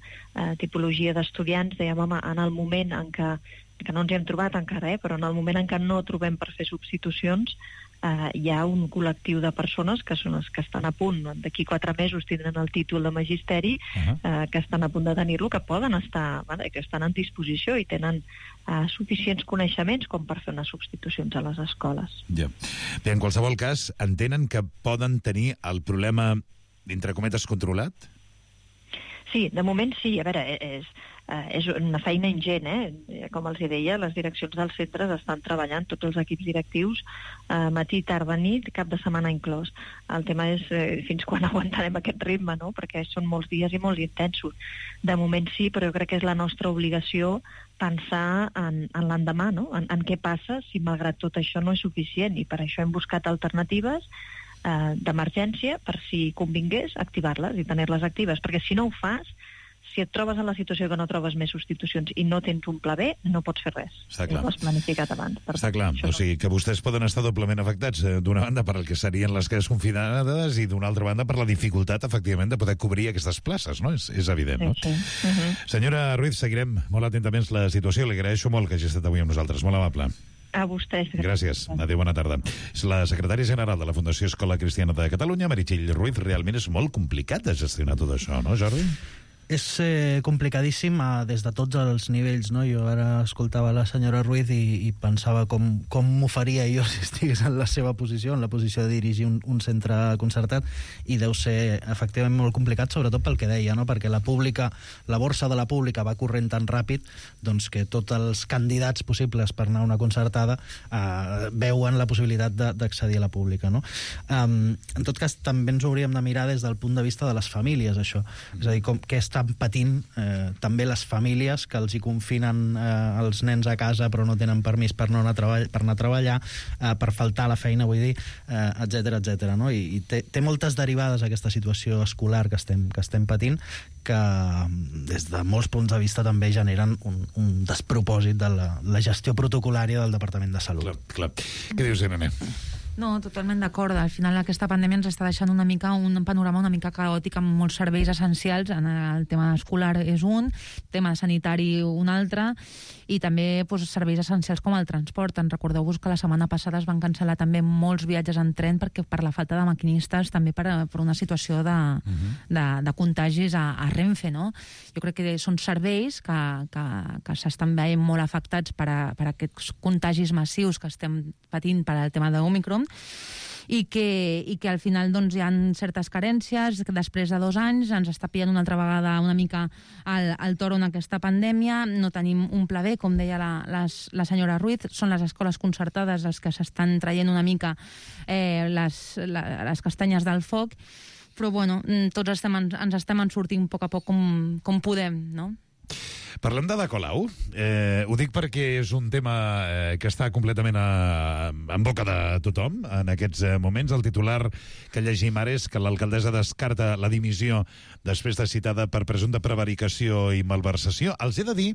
tipologia d'estudiants, dèiem, home, en el moment en què no ens hi hem trobat encara, però en el moment en què no trobem per fer substitucions, hi ha un col·lectiu de persones que són els que estan a punt, d'aquí 4 mesos tindran el títol de magisteri, que estan a punt de tenir-lo, que poden estar, que estan en disposició i tenen suficients coneixements com per fer unes substitucions a les escoles. Ja. Bé, en qualsevol cas, entenen que poden tenir el problema, entre cometes, controlat? Sí, de moment sí. A veure, és una feina ingent, Com els deia, les direccions dels centres estan treballant, tots els equips directius, matí, tarda, nit, cap de setmana inclòs. El tema és fins quan aguantarem aquest ritme, no? Perquè són molts dies i molt intensos. De moment sí, però jo crec que és la nostra obligació pensar en l'endemà, no? En què passa si malgrat tot això no és suficient, i per això hem buscat alternatives d'emergència per si convingués activar-les i tenir-les actives, perquè si no ho fas, si et trobes en la situació que no trobes més substitucions i no tens un pla B, no pots fer res. Està clar. No ho has planificat abans. Està clar, o sigui que vostès poden estar doblement afectats, d'una banda per el que serien les quedes confinades i d'una altra banda per la dificultat, efectivament, de poder cobrir aquestes places, no? És evident, no? Sí. Senyora Ruiz, seguirem molt atentament la situació. Li agraeixo molt que hagi estat avui amb nosaltres. Molt amable. A vostès. Gràcies. Adéu, bona tarda. És la secretària general de la Fundació Escola Cristiana de Catalunya, Meritxell Ruiz. Realment és molt complicat de gestionar tot això, no, Jordi? És complicadíssim des de tots els nivells, no? Jo ara escoltava la senyora Ruiz i pensava com m'ho faria jo si estigués en la seva posició, en la posició de dirigir un centre concertat, i deu ser efectivament molt complicat, sobretot pel que deia, no? Perquè la borsa de la pública va corrent tan ràpid, doncs, que tots els candidats possibles per anar a una concertada veuen la possibilitat d'accedir a la pública, no? En tot cas, també ens hauríem de mirar des del punt de vista de les famílies, això. És a dir, què estan patint també les famílies que els hi confinen els nens a casa però no tenen permís per anar a treballar, per faltar a la feina, vull dir, etcètera, no? I té moltes derivades aquesta situació escolar que estem patint, que des de molts punts de vista també generen un despropòsit de la gestió protocolària del Departament de Salut. Clar. Què dius, Irene? No, totalment d'acord. Al final aquesta pandèmia ens està deixant un panorama una mica caòtic amb molts serveis essencials. En el tema escolar és un, tema sanitari un altre, i també serveis essencials com el transport. En recordeu-vos que la setmana passada es van cancel·lar també molts viatges en tren perquè per la falta de maquinistes, també per una situació de contagis a Renfe, no? Jo crec que són serveis que s'estan veient molt afectats per aquests contagis massius que estem patint per al tema d'Òmicron, i que al final doncs, hi ha certes carències, que després de 2 anys ens està pillant una altra vegada una mica el toro en aquesta pandèmia. No tenim un pla B, com deia la senyora Ruiz, són les escoles concertades les que s'estan traient una mica les castanyes del foc, però bueno, tots ens estem sortint a poc com podem, no? Parlem de Colau. Ho dic perquè és un tema que està completament en boca de tothom en aquests moments. El titular que llegim ara és que l'alcaldessa descarta la dimissió després de citada per presumpta prevaricació i malversació. Els he de dir,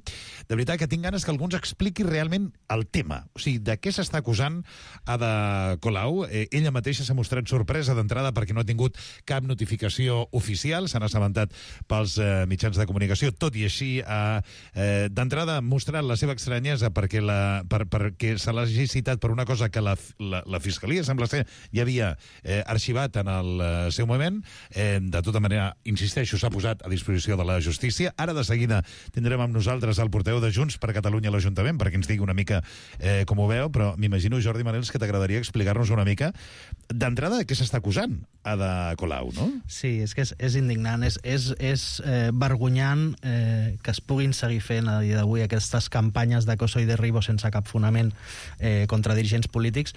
de veritat, que tinc ganes que algú ens expliqui realment el tema. O sigui, de què s'està acusant Ada Colau? Ella mateixa s'ha mostrat sorpresa d'entrada perquè no ha tingut cap notificació oficial, s'han assabentat pels mitjans de comunicació. Tot i així, d'entrada ha mostrat la seva estranyesa perquè se l'hagi citat per una cosa que la Fiscalia, sembla ser, ja havia arxivat en el seu moment. De tota manera, insisteixo, s'ha posat a disposició de la justícia. Ara de seguida tindrem amb nosaltres el portaveu de Junts per Catalunya a l'Ajuntament perquè ens digui una mica com ho veu, però m'imagino, Jordi Manels, que t'agradaria explicar-nos una mica d'entrada què s'està acusant Ada Colau, no? Sí, és que és indignant, és vergonyant que es puguin seguir fent a dia d'avui aquestes campanyes d'acoso i derribo sense cap fonament contra dirigents polítics,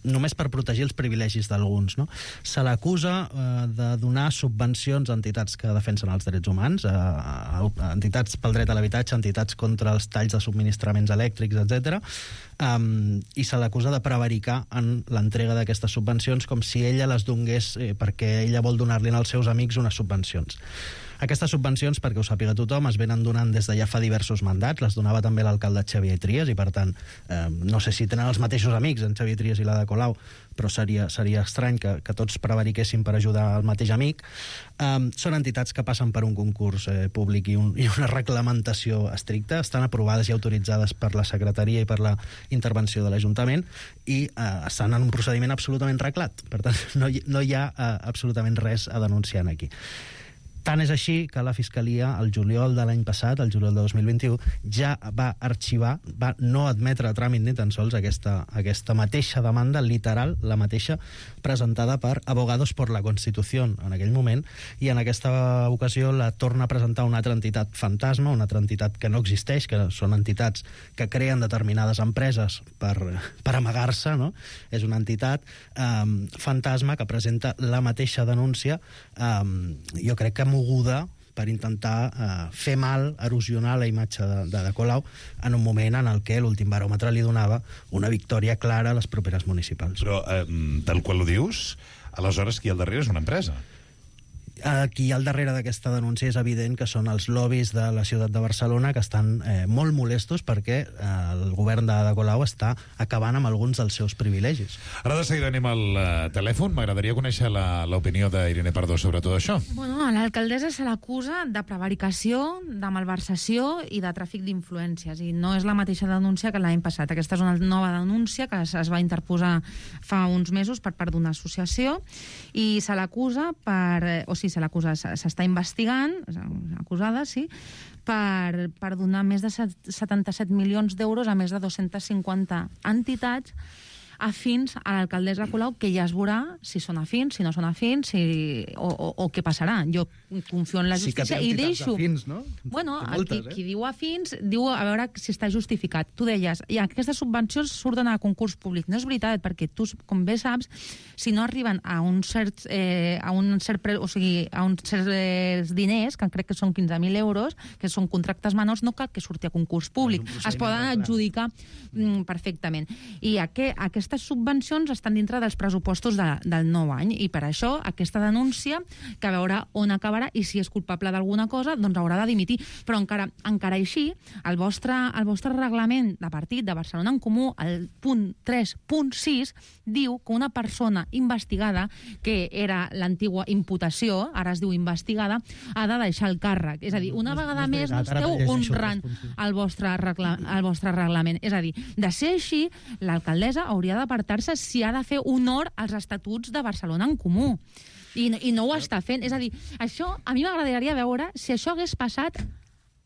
només per protegir els privilegis d'alguns, no? Se l'acusa de donar subvencions a entitats que defensen els drets humans, a entitats pel dret a l'habitatge, entitats contra els talls de subministraments elèctrics, etc. I se l'acusa de prevaricar en l'entrega d'aquestes subvencions com si ella les donés perquè ella vol donar-li als seus amics unes subvencions. Aquestes subvencions, perquè ho sàpiga tothom, es venen donant des de ja fa diversos mandats. Les donava també l'alcalde Xavier Trias i, per tant, no sé si tenen els mateixos amics, en Xavier Trias i l'Ada Colau, però seria estrany que tots prevariquessin per ajudar el mateix amic. Són entitats que passen per un concurs públic i una reglamentació estricta, estan aprovades i autoritzades per la secretaria i per la intervenció de l'Ajuntament i estan en un procediment absolutament reglat. Per tant, no hi ha absolutament res a denunciar aquí. Tant és així que la Fiscalia, el juliol de l'any passat, el juliol de 2021, ja va arxivar, va no admetre a tràmit ni tan sols aquesta mateixa demanda, literal, la mateixa, presentada per Abogados por la Constitución en aquell moment, i en aquesta ocasió la torna a presentar una altra entitat fantasma, una altra entitat que no existeix, que són entitats que creen determinades empreses per amagar-se, no? És una entitat fantasma que presenta la mateixa denúncia, jo crec que moguda per intentar fer mal, erosionar la imatge de Colau en un moment en el que l'últim baròmetre li donava una victòria clara a les properes municipals. Però, tal qual ho dius, aleshores qui al darrere és una empresa. Qui hi ha al darrere d'aquesta denúncia és evident que són els lobbies de la ciutat de Barcelona que estan molt molestos perquè el govern de Colau està acabant amb alguns dels seus privilegis. Ara de seguida anem al telèfon. M'agradaria conèixer l'opinió d'Irene Pardo sobre tot això. Bueno, a l'alcaldessa se l'acusa de prevaricació, de malversació i de tràfic d'influències. I no és la mateixa denúncia que l'any passat. Aquesta és una nova denúncia que es va interposar fa uns mesos per part d'una associació i se l'acusa s'està investigant, acusada, sí, per donar més de 77 milions d'euros a més de 250 entitats afins a l'alcaldessa Colau, que ja es veurà si són afins, si no són afins, o què passarà. Jo confio en la justícia i deixo... Afins, no? Bueno, qui diu afins, diu a veure si està justificat. Tu deies, aquestes subvencions surten a concurs públic. No és veritat, perquè tu, com bé saps, si no arriben a uns certs diners, que crec que són 15.000 euros, que són contractes menors, no cal que surti a concurs públic. Es poden adjudicar perfectament. I aquestes subvencions estan dintre dels pressupostos del nou any i per això aquesta denúncia, que a veure on acabarà i si és culpable d'alguna cosa, doncs haurà de dimitir. Però encara així, el vostre reglament de partit de Barcelona en Comú, el punt 3.6, diu que una persona investigada, que era l'antigua imputació, ara es diu investigada, ha de deixar el càrrec. És a dir, una vegada més no esteu honrant el vostre reglament. És a dir, de ser així, l'alcaldessa hauria d'apartar-se si ha de fer honor als estatuts de Barcelona en Comú. I no ho està fent. És a dir, això a mi m'agradaria veure si això hagués passat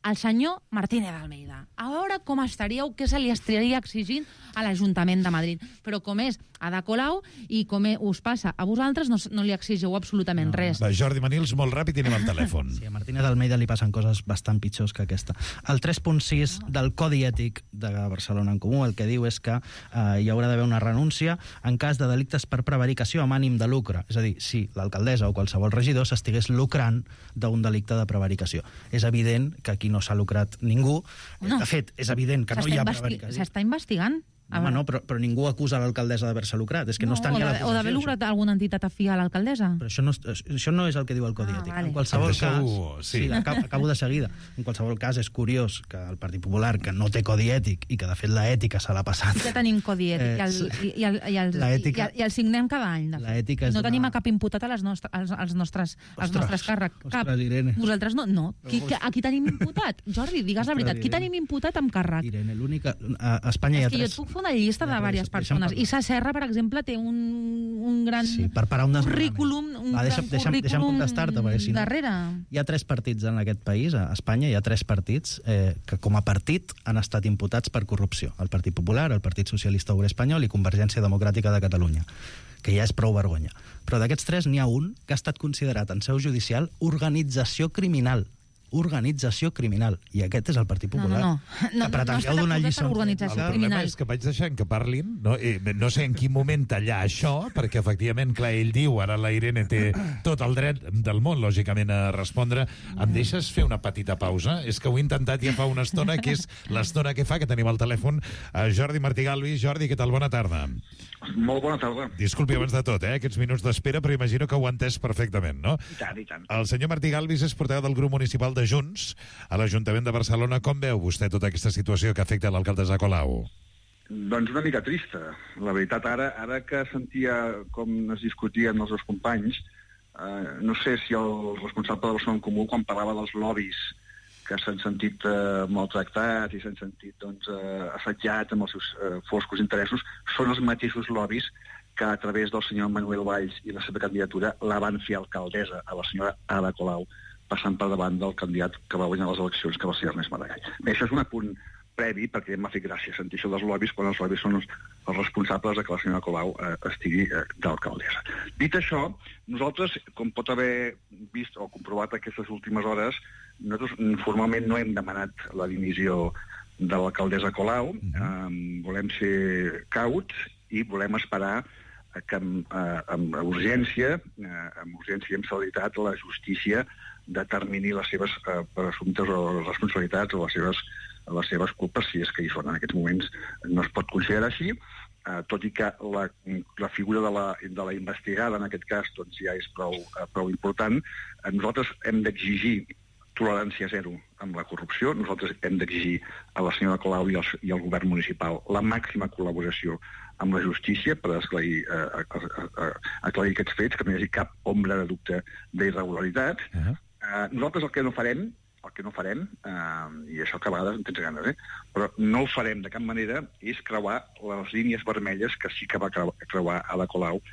al senyor Martínez Almeida. A veure com estaríeu, què se li estaria exigint a l'Ajuntament de Madrid. Però com és Ada Colau i com us passa a vosaltres, no li exigeu absolutament res. Va, Jordi Manils, molt ràpid i anem al telèfon. Sí, a Martínez Almeida li passen coses bastant pitjors que aquesta. El 3.6 del Codi Ètic de Barcelona en Comú el que diu és que hi haurà d'haver una renúncia en cas de delictes per prevaricació amb ànim de lucre. És a dir, si l'alcaldessa o qualsevol regidor s'estigués lucrant d'un delicte de prevaricació. És evident que aquí no s'ha lucrat ningú. No. De fet, és evident que no hi ha prevaricació. S'està investigant. Home, no, però ningú acusa l'alcaldessa d'haver-se lucrat. És que no està ni a la posició. O d'haver lucrat alguna entitat afí a l'alcaldessa. Però això no és el que diu el Codi Ètic. Vale. En qualsevol cas... Sí, acabo de seguida. En qualsevol cas, és curiós que el Partit Popular, que no té Codi Ètic i que, de fet, l'ètica se l'ha passat... Ja tenim Codi Ètic i el signem cada any. No tenim a cap imputat als nostres càrrecs. Cap. Vosaltres no? No. A qui tenim imputat? Jordi, digues la veritat. Qui tenim imputat amb càrrec? Irene, l'única... A Espanya hi ha tres... una llista de diverses persones. Issa Serra, per exemple, té un gran currículum deixa'm contestar-te, perquè si no... darrere. Hi ha 3 partits en aquest país, a Espanya hi ha 3 partits que com a partit han estat imputats per corrupció. El Partit Popular, el Partit Socialista Obrer Espanyol i Convergència Democràtica de Catalunya, que ja és prou vergonya. Però d'aquests 3 n'hi ha un que ha estat considerat en seu judicial organització criminal. organització criminal. I aquest és el Partit Popular. No pretengueu donar lliçons. per organització El criminal. problema és que vaig deixant que parlin, no sé en quin moment tallar això, perquè efectivament, clar, ell diu, ara la Irene té tot el dret del món, lògicament, a respondre. Em deixes fer una petita pausa? És que ho he intentat ja fa una estona, que és l'estona que fa, que tenim al telèfon a Jordi Martí Galvis. Jordi, què tal? Bona tarda. Molt bona tarda. Disculpi abans de tot, aquests minuts d'espera, però imagino que ho ha entès perfectament, no? I tant, i tant. El senyor Martí Galvis és portaveu del grup municipal de Junts a l'Ajuntament de Barcelona. Com veu vostè tota aquesta situació que afecta l'alcaldessa Colau? Doncs una mica trista. La veritat, ara que sentia com es discutien els dos companys, no sé si el responsable de Barcelona en Comú, quan parlava dels lobbies que s'han sentit maltractats i s'han sentit assetjats amb els seus foscos interessos, són els mateixos lobbies que a través del senyor Manuel Valls i la seva candidatura la van fer alcaldessa a la senyora Ada Colau, passant per davant del candidat que va guanyar les eleccions, que va ser Ernest Maragall. Bé, això és un apunt previ, perquè m'ha fet gràcia sentir això dels lobbies, quan els lobbies són els responsables de que la senyora Colau estigui d'alcaldessa. Dit això, nosaltres, com pot haver vist o comprovat aquestes últimes hores, nosaltres formalment no hem demanat la dimissió de l'alcaldessa Colau, volem ser cauts i volem esperar que amb urgència i amb celeritat la justícia determini les seves presumptes o responsabilitats o les seves culpes, si és que hi són. En aquests moments no es pot considerar així, tot i que la figura de la investigada, en aquest cas, doncs ja és prou important. Nosaltres hem d'exigir tolerància zero amb la corrupció. Nosaltres hem d'exigir a la senyora Colau i al govern municipal la màxima col·laboració amb la justícia per aclarir aquests fets, que no hi hagi cap ombra de dubte d'irregularitat. Nosaltres el que no farem, i això que a vegades en tens ganes, però no ho farem de cap manera, és creuar les línies vermelles que sí que va creuar Ada Colau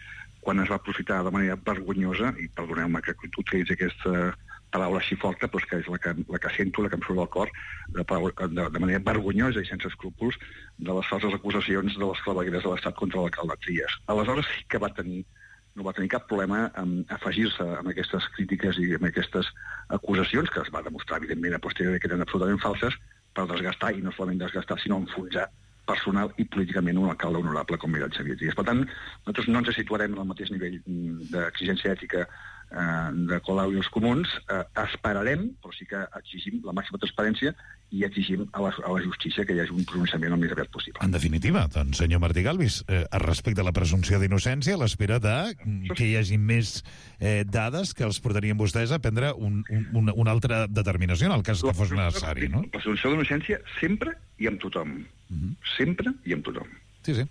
quan es va aprofitar de manera vergonyosa, i perdoneu-me que utilitzi aquesta paraula així forta, però és que és la que sento, la que em surt del cor, de manera vergonyosa i sense escrúpols, de les falses acusacions de les clavegueres de l'Estat contra l'alcalde Trias. Aleshores sí que no va tenir cap problema en afegir-se amb aquestes crítiques i amb aquestes acusacions, que es va demostrar, evidentment, a posteriori que eren absolutament falses, per desgastar, i no solament desgastar, sinó enfonsar personal i políticament un alcalde honorable com era el Xavier Trias. Per tant, nosaltres no ens situarem en el mateix nivell d'exigència ètica de Colau i els comuns. Esperarem, però sí que exigim la màxima transparència i exigim a la justícia que hi hagi un pronunciament el més aviat possible. En definitiva, doncs, senyor Martí Galvis, respecte a la presumpció d'innocència, a l'espera que hi hagi més dades que els portarien vostès a prendre una altra determinació en el cas que fos necessari, no? La presumpció d'innocència sempre i amb tothom. Sempre i amb tothom. Sí.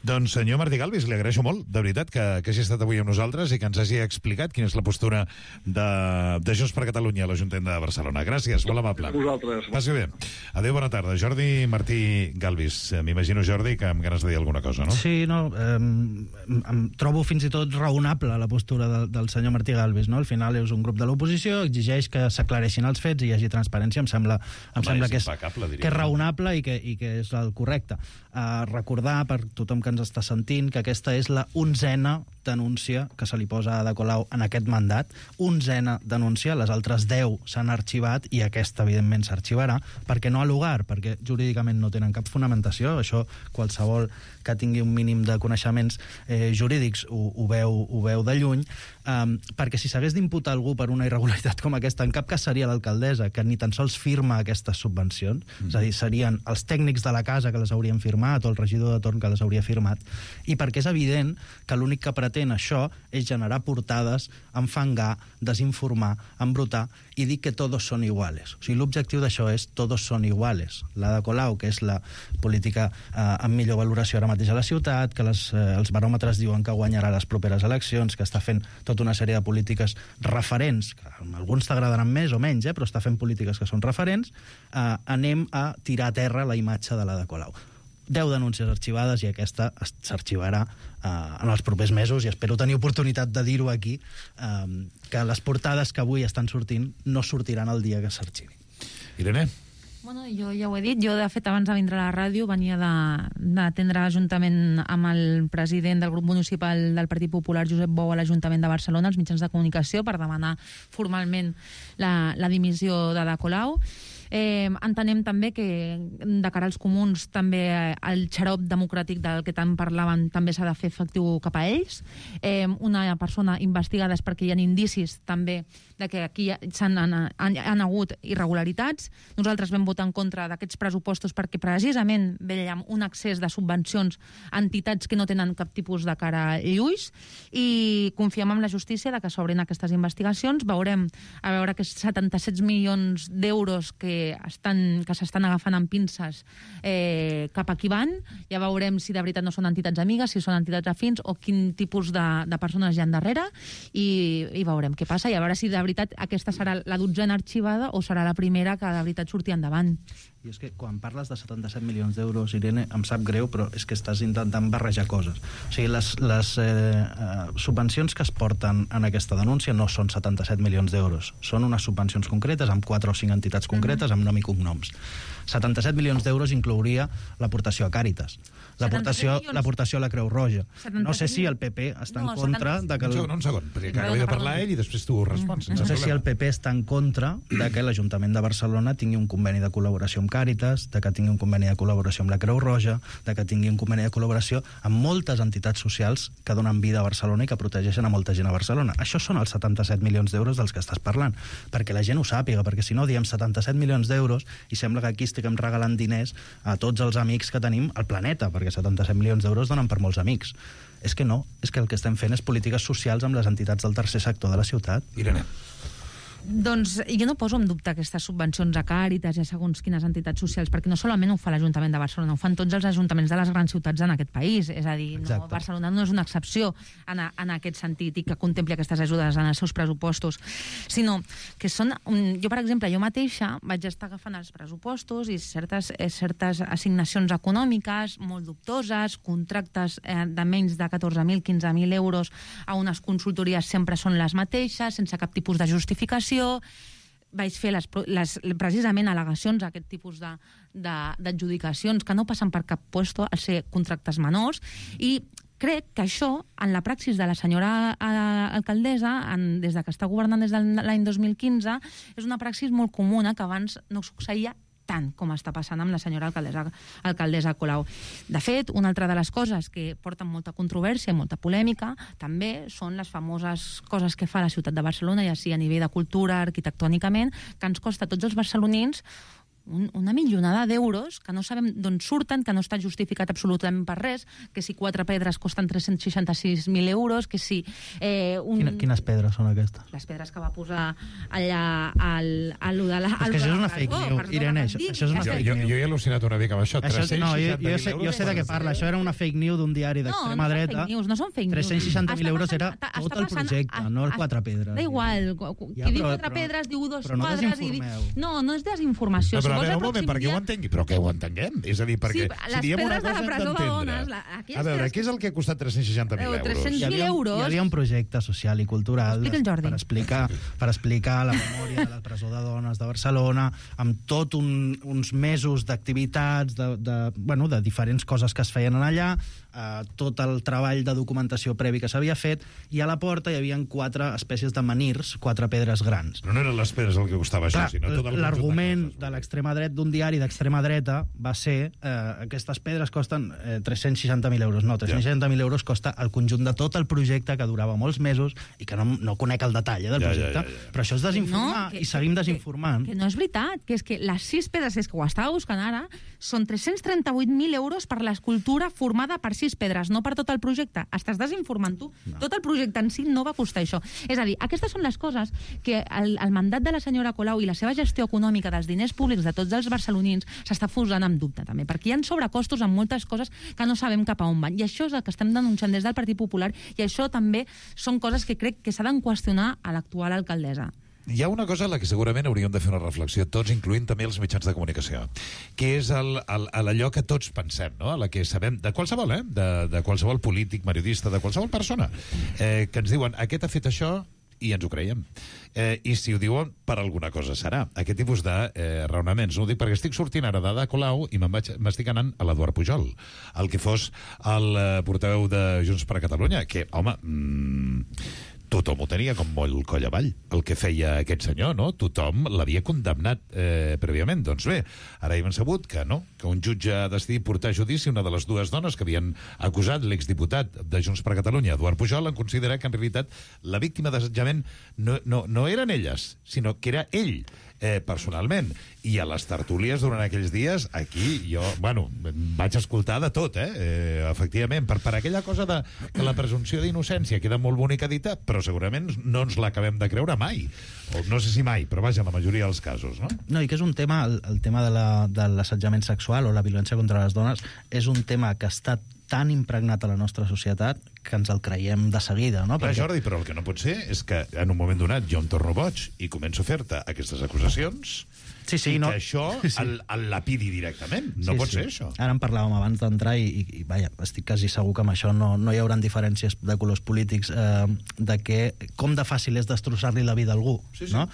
Doncs, senyor Martí Galvis, li agraeixo molt, de veritat, que hagi estat avui amb nosaltres i que ens hagi explicat quina és la postura de Junts per Catalunya a l'Ajuntament de Barcelona. Gràcies, molt amable. Vosaltres. Passi bé. Adéu, bona tarda. Jordi Martí Galvis. M'imagino, Jordi, que amb ganes de dir alguna cosa, no? Sí, no. Em trobo fins i tot raonable la postura del senyor Martí Galvis, no? Al final és un grup de l'oposició, exigeix que s'aclareixin els fets i hi hagi transparència. Em sembla que és raonable i que és el correcte. Recordar per tothom que ens està sentint que aquesta és la 11a denúncia que se li posa a Ada Colau en aquest mandat. 11a denúncia, les altres 10 s'han arxivat i aquesta, evidentment, s'arxivarà, perquè no ha lugar, perquè jurídicament no tenen cap fonamentació. Això qualsevol que tingui un mínim de coneixements jurídics ho veu de lluny, perquè si s'hagués d'imputar algú per una irregularitat com aquesta, en cap cas seria l'alcaldessa, que ni tan sols firma aquestes subvencions, és a dir, serien els tècnics de la casa que les haurien firmat o el regidor de torn que les hauria firmat, i perquè és evident que l'únic que pretén això és generar portades, enfangar, desinformar, embrutar i dir que todos son iguales. O sigui, l'objectiu d'això és todos son iguales. L'Ada Colau, que és la política amb millor valoració ara mateix a la ciutat, que els baròmetres diuen que guanyarà les properes eleccions, que està fent tota una sèrie de polítiques referents, que a alguns t'agradaran més o menys, però està fent polítiques que són referents, anem a tirar a terra la imatge de l'Ada Colau. 10 denúncies arxivades i aquesta s'arxivarà en els propers mesos i espero tenir oportunitat de dir-ho aquí, que les portades que avui estan sortint no sortiran el dia que s'arxivi. Irene? Bueno, jo ja ho he dit. Jo, de fet, abans de vindre a la ràdio, venia d'atendre l'Ajuntament amb el president del grup municipal del Partit Popular, Josep Bou, a l'Ajuntament de Barcelona, als mitjans de comunicació, per demanar formalment la dimissió d'Ada Colau. Entenem també que de cara als comuns també el xarop democràtic del que tant parlaven també s'ha de fer efectiu cap a ells. Una persona investigada és perquè hi ha indicis també de que aquí han hagut irregularitats. Nosaltres vam votar en contra d'aquests pressupostos perquè precisament veiem un excés de subvencions a entitats que no tenen cap tipus de cara i ulls, i confiem en la justícia de que s'obrin aquestes investigacions. Veurem a veure aquests 77 milions d'euros que s'estan agafant amb pinces cap a qui van. Ja veurem si de veritat no són entitats amigues, si són entitats afins o quin tipus de persones hi ha darrere, i veurem què passa, i a veure si de veritat aquesta serà la 12a arxivada o serà la primera que de veritat surti endavant. I és que quan parles de 77 milions d'euros, Irene, em sap greu, però és que estàs intentant barrejar coses. O sigui, les subvencions que es porten en aquesta denúncia no són 77 milions d'euros. Són unes subvencions concretes amb 4 o 5 entitats concretes amb nom i cognoms. 77 milions d'euros inclouria l'aportació a Càritas, l'aportació a la Creu Roja. No sé si el PP està en contra de que... Un segon, perquè acaba de parlar ell i després tu respons. No sé si el PP està en contra de que l'Ajuntament de Barcelona tingui un conveni de col·laboració amb Càritas, de que tingui un conveni de col·laboració amb la Creu Roja, de que tingui un conveni de col·laboració amb moltes entitats socials que donen vida a Barcelona i que protegeixen a molta gent a Barcelona. Això són els 77 milions d'euros dels que estàs parlant, perquè la gent ho sàpiga, perquè si no diem 77 milions d'euros i sembla que aquí estiguem regalant diners a tots els amics que tenim al planeta, perquè 77 milions d'euros donen per molts amics. És que no, és que el que estem fent és polítiques socials amb les entitats del tercer sector de la ciutat. Irene. Doncs jo no poso en dubte aquestes subvencions a Càritas i a segons quines entitats socials, perquè no solament ho fa l'Ajuntament de Barcelona, ho fan tots els ajuntaments de les grans ciutats en aquest país. És a dir, no, Barcelona no és una excepció en aquest sentit i que contempli aquestes ajudes en els seus pressupostos, sinó que són... Jo, per exemple, jo mateixa vaig estar agafant els pressupostos i certes assignacions econòmiques molt dubtoses, contractes de menys de 14.000, 15.000 euros a unes consultories sempre són les mateixes, sense cap tipus de justificació. Vaig fer precisament al·legacions a aquest tipus d'adjudicacions que no passen per cap puesto al ser contractes menors, i crec que això, en la praxis de la senyora alcaldessa, des que està governant des de l'any 2015, és una praxis molt comuna que abans no succeïa tant com està passant amb la senyora alcaldessa Colau. De fet, una altra de les coses que porten molta controvèrsia i molta polèmica també són les famoses coses que fa la ciutat de Barcelona, ja sigui a nivell de cultura, arquitectònicament, que ens costa a tots els barcelonins una milionada d'euros que no sabem d'on surten, que no està justificat absolutament per res, que si 4 pedres costen 366.000 euros, que si... Quines pedres són aquestes? Les pedres que va posar allà al de la... És que això és una fake news, Irene, això és una fake news. Jo he al·lucinat una mica amb això, 360.000 euros. Jo sé de què parla, això era una fake news d'un diari d'extrema dreta. No són fake news. 360.000 euros era tot el projecte, no els 4 pedres. Da igual, qui diu 4 pedres diu 2 quadres... No, no és desinformació. A veure, un moment, perquè ho entengui. Però que ho entenguem. És a dir, perquè si diem una cosa hem d'entendre. A veure, què és el que ha costat 360.000 euros? 300.000 euros. Hi havia un projecte social i cultural per explicar la memòria de la presó de dones de Barcelona, amb tot uns mesos d'activitats, de diferents coses que es feien allà, tot el treball de documentació previ que s'havia fet, i a la porta hi havia 4 espècies de menhirs, 4 pedres grans. Però no eren les pedres el que costava això, sinó tot el... L'argument de l'extrema dreta, d'un diari d'extrema dreta, va ser aquestes pedres costen 360.000 euros. No, 360.000 euros costa el conjunt de tot el projecte, que durava molts mesos i que no conec el detall del projecte. Però això és desinformar, i seguim desinformant. Que no és veritat, que és que les 6 pedres, és que ho estava buscant ara, són 338.000 euros per l'escultura formada per 6 pedres, no per tot el projecte. Estàs desinformant tu. Tot el projecte en si no va costar això. És a dir, aquestes són les coses que el mandat de la senyora Colau i la seva gestió econòmica dels diners públics de tots els barcelonins s'està posant en dubte, també, perquè hi ha sobrecostos en moltes coses que no sabem cap a on van. I això és el que estem denunciant des del Partit Popular, i això també són coses que crec que s'ha de qüestionar a l'actual alcaldessa. Hi ha una cosa a la que segurament hauríem de fer una reflexió tots, incloent també els mitjans de comunicació, que és allò que tots pensem, no? A la que sabem, de qualsevol, de qualsevol polític, periodista, de qualsevol persona, que ens diuen, aquest ha fet això i ens ho creiem. I si ho diuen, per alguna cosa serà. Aquest tipus de raonaments. No ho dic perquè estic sortint ara d'Ada Colau i m'estic anant a l'Eduard Pujol, el que fos el portaveu de Junts per Catalunya, que, home... tothom ho tenia com molt coll avall, el que feia aquest senyor, no? Tothom l'havia condemnat prèviament. Doncs bé, ara hem sabut que no, que un jutge ha decidit portar a judici una de les dues dones que havien acusat l'exdiputat de Junts per Catalunya, Eduard Pujol, en considerar que en realitat la víctima d'assetjament no eren elles, sinó que era ell, personalment. I a les tertúlies durant aquells dies, aquí jo, vaig escoltar de tot, efectivament, per aquella cosa de que la presumpció d'innocència queda molt bonica dita, però segurament no ens l'acabem de creure mai. O no sé si mai, però vaja, la majoria dels casos, no? No, i que és un tema, el tema de l'assetjament sexual o la violència contra les dones, és un tema que està tan impregnat a la nostra societat que ens el creiem de seguida, no? Clar, Jordi, però el que no pot ser és que en un moment donat jo em torno boig i començo a fer-te aquestes acusacions i que això el lapidi directament. No pot ser això. Ara en parlàvem abans d'entrar i vaja, estic quasi segur que amb això no hi haurà diferències de colors polítics de que com de fàcil és destrossar-li la vida a algú, no?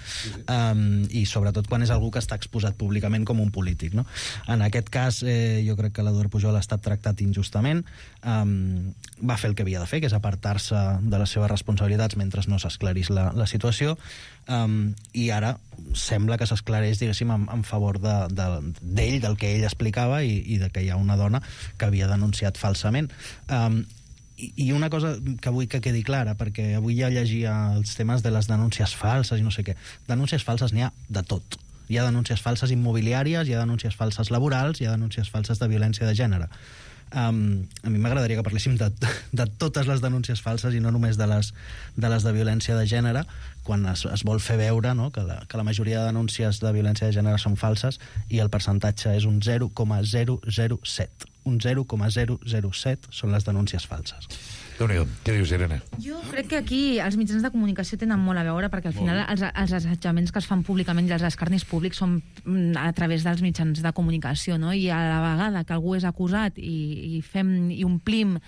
I sobretot quan és algú que està exposat públicament com un polític, no? En aquest cas, jo crec que l'Eduard Pujol ha estat tractat injustament, va fer el que havia de fer, que és apartar-se de les seves responsabilitats mentre no s'esclarís la situació, i ara sembla que s'esclareix, diguéssim, en favor d'ell, del que ell explicava i de que hi ha una dona que havia denunciat falsament. I una cosa que vull que quedi clara, perquè avui ja llegia els temes de les denúncies falses i no sé què. Denúncies falses n'hi ha de tot. Hi ha denúncies falses immobiliàries, hi ha denúncies falses laborals, hi ha denúncies falses de violència de gènere. A mi m'agradaria que parléssim de totes les denúncies falses i no només de les de violència de gènere, quan es vol fer veure, no, que la majoria de denúncies de violència de gènere són falses i el percentatge és un 0,007. Un 0,007 són les denúncies falses. Déu-n'hi-do. Què dius, Irene? Jo crec que aquí els mitjans de comunicació tenen molt a veure, perquè al final els assetjaments que es fan públicament i els escarnis públics són a través dels mitjans de comunicació, no? I a la vegada que algú és acusat i omplim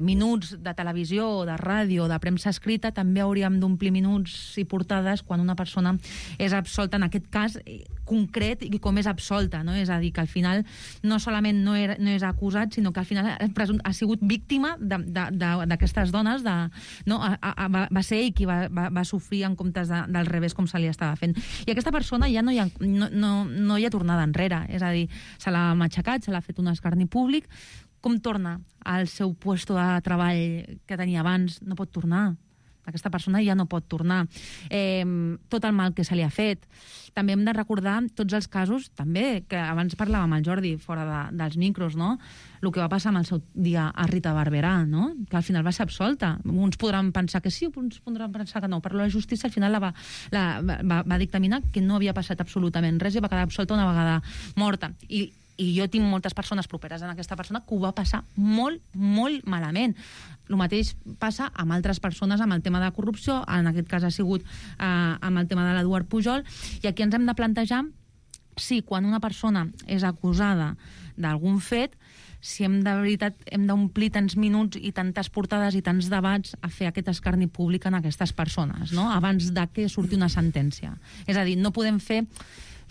minuts de televisió o de ràdio o de premsa escrita, també hauríem d'omplir minuts i portades quan una persona és absolta, en aquest cas concret, i com és absolta, no? És a dir, que al final no solament no és acusat, sinó que al final ha sigut víctima d'aquestes dones, va ser ell qui va sofrir en comptes del revés, com se li estava fent. I aquesta persona ja no hi ha tornada enrere, és a dir, se l'ha matxacat, se l'ha fet un escarni públic. Com torna al seu puesto de treball que tenia abans? No pot tornar. Aquesta persona ja no pot tornar. Tot el mal que se li ha fet. També hem de recordar tots els casos, també, que abans parlàvem amb el Jordi fora dels micros, no? El que va passar amb el seu dia a Rita Barberà, no? Que al final va ser absolta. Uns podran pensar que sí, uns podran pensar que no, però la justícia al final va dictaminar que no havia passat absolutament res i va quedar absolta una vegada morta. I jo tinc moltes persones properes en aquesta persona que ho va passar molt, molt malament. El mateix passa amb altres persones amb el tema de corrupció, en aquest cas ha sigut amb el tema de l'Eduard Pujol, i aquí ens hem de plantejar si quan una persona és acusada d'algun fet, si de veritat hem d'omplir tants minuts i tantes portades i tants debats a fer aquest escarni públic en aquestes persones, no? Abans de que surti una sentència. És a dir, no podem fer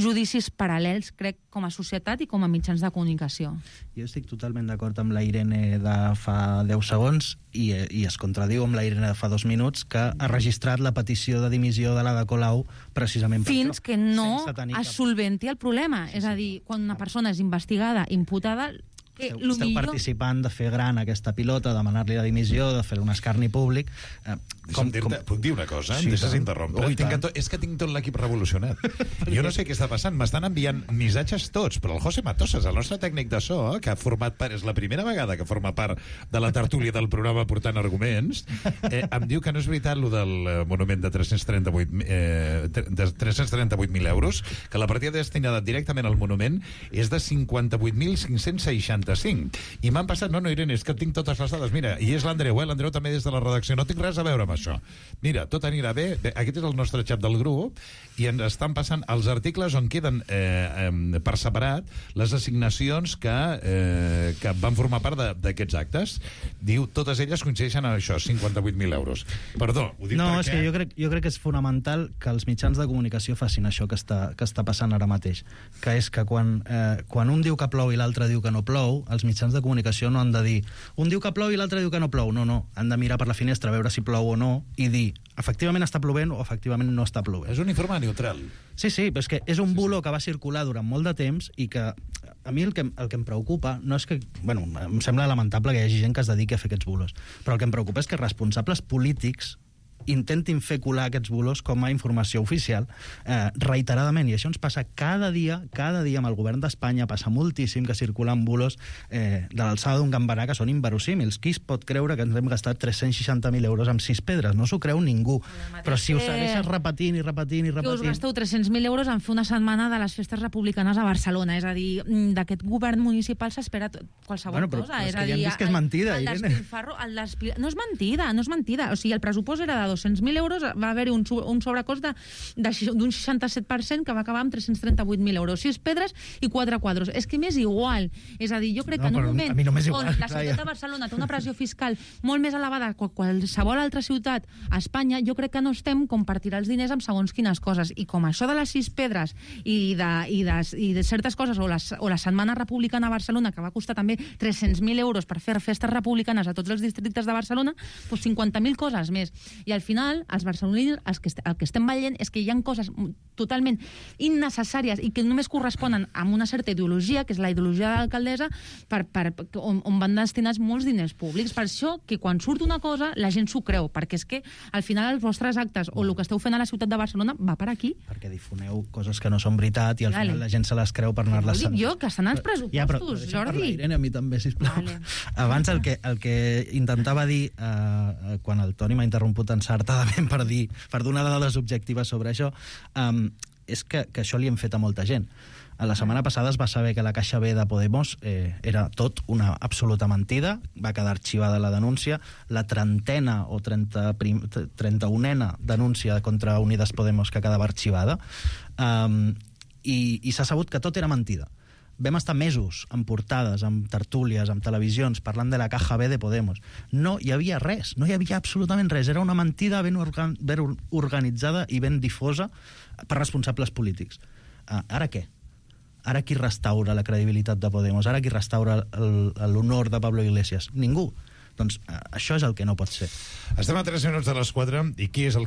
judicis paral·lels, crec, com a societat i com a mitjans de comunicació. Jo estic totalment d'acord amb la Irene de fa 10 segons i es contradiu amb la Irene de fa 2 minuts, que ha registrat la petició de dimissió de l'Ada Colau precisament per fins que no es solventi el problema. És a dir, quan una persona és investigada, imputada, esteu participant de fer gran aquesta pilota, demanar-li la dimissió, de fer un escarni públic. Puc dir una cosa? Em deixes interrompre? És que tinc tot l'equip revolucionat. Jo no sé què està passant. M'estan enviant missatges tots, però el José Matosas, el nostre tècnic de so, que ha format part, és la primera vegada que forma part de la tertúlia del programa portant arguments, em diu que no és veritat lo del monument de 338.000 euros, que la partida destinada directament al monument és de 58.560 135. I m'han passat... No, Irene, és que tinc totes les dades. Mira, i és l'Andreu, l'Andreu també des de la redacció. No tinc res a veure amb això. Mira, tot anirà bé. Aquest és el nostre xat del grup i ens estan passant els articles on queden per separat les assignacions que van formar part d'aquests actes. Diu, totes elles coincideixen en això, 58.000 euros. Perdó, ho dic perquè... és que jo crec que és fonamental que els mitjans de comunicació facin això que està passant ara mateix, que és que quan un diu que plou i l'altre diu que no plou, els mitjans de comunicació no han de dir un diu que plou i l'altre diu que no plou. No, han de mirar per la finestra, veure si plou o no i dir, efectivament està plovent o efectivament no està plovent. És un informe neutral. Sí, però és que és un bulo que va circular durant molt de temps i que a mi el que em preocupa no és que... Bueno, em sembla lamentable que hi hagi gent que es dediqui a fer aquests bulos, però el que em preocupa és que responsables polítics intentin fer colar aquests bulos com a informació oficial reiteradament, i això ens passa cada dia amb el govern d'Espanya. Passa moltíssim que circulen bulos de l'alçada d'un gambarà que són inverosímils. Qui es pot creure que ens hem gastat 360.000 euros amb 6 pedres? No s'ho creu ningú, però si ho segueixes repetint que us gasteu 300.000 euros en fer una setmana de les festes republicanes a Barcelona, és a dir, d'aquest govern municipal s'espera qualsevol cosa, és a dir, que és mentida, Irene. No és mentida, o sigui, el pressupost era de 200.000 euros, va haver-hi un sobrecost d'un 67% que va acabar amb 338.000 euros. 6 pedres i 4 quadros. És que m'és igual. És a dir, jo crec que en un moment on la ciutat de Barcelona té una pressió fiscal molt més elevada que qualsevol altra ciutat a Espanya, jo crec que no estem com per tirar els diners amb segons quines coses. I com això de les 6 pedres i de certes coses, o la Setmana Republicana a Barcelona, que va costar també 300.000 euros per fer festes republicanes a tots els districtes de Barcelona, doncs 50.000 coses més. I al final, els barcelonins, el que estem veient és que hi ha coses totalment innecessàries i que només corresponen a una certa ideologia, que és la ideologia de l'alcaldessa, on van destinats molts diners públics. Per això que quan surt una cosa, la gent s'ho creu, perquè és que al final els vostres actes o el que esteu fent a la ciutat de Barcelona va per aquí. Perquè difoneu coses que no són veritat i al final la gent se les creu per anar-les... Dic jo, que estan als pressupostos, Jordi. Irene, a mi també, sisplau. Abans el que intentava dir quan el Toni m'ha interromput encertadament per donar dades objectives sobre això, és que això li hem fet a molta gent. La setmana passada es va saber que la Caixa B de Podemos era tot una absoluta mentida, va quedar arxivada la denúncia, la 30ena o 31ena denúncia contra Unides Podemos que quedava arxivada, i s'ha sabut que tot era mentida. Vam estar mesos amb portades, amb tertúlies, amb televisions, parlant de la Caja B de Podemos. No hi havia res, no hi havia absolutament res. Era una mentida ben organitzada i ben difosa per responsables polítics. Ara què? Ara qui restaura la credibilitat de Podemos? Ara qui restaura l'honor de Pablo Iglesias? Ningú. Doncs això és el que no pot ser. Estem a 3 minuts de les 4 i què és el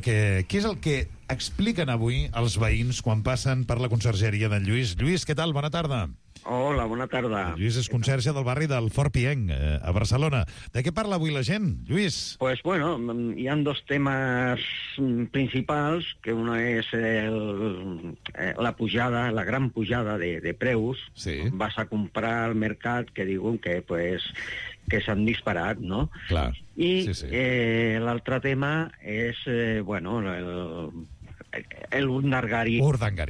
que expliquen avui els veïns quan passen per la consergeria d'en Lluís? Lluís, què tal? Bona tarda. Hola, bona tarda. Lluís és conserge del barri del Fort Pienc, a Barcelona. De què parla avui la gent, Lluís? Pues bueno, hi ha dos temes principals, que una és la pujada, la gran pujada de preus. Sí. Vas a comprar al mercat que diuen que s'han disparat, no? Clar. I sí. L'altre tema és, el Urdangarín.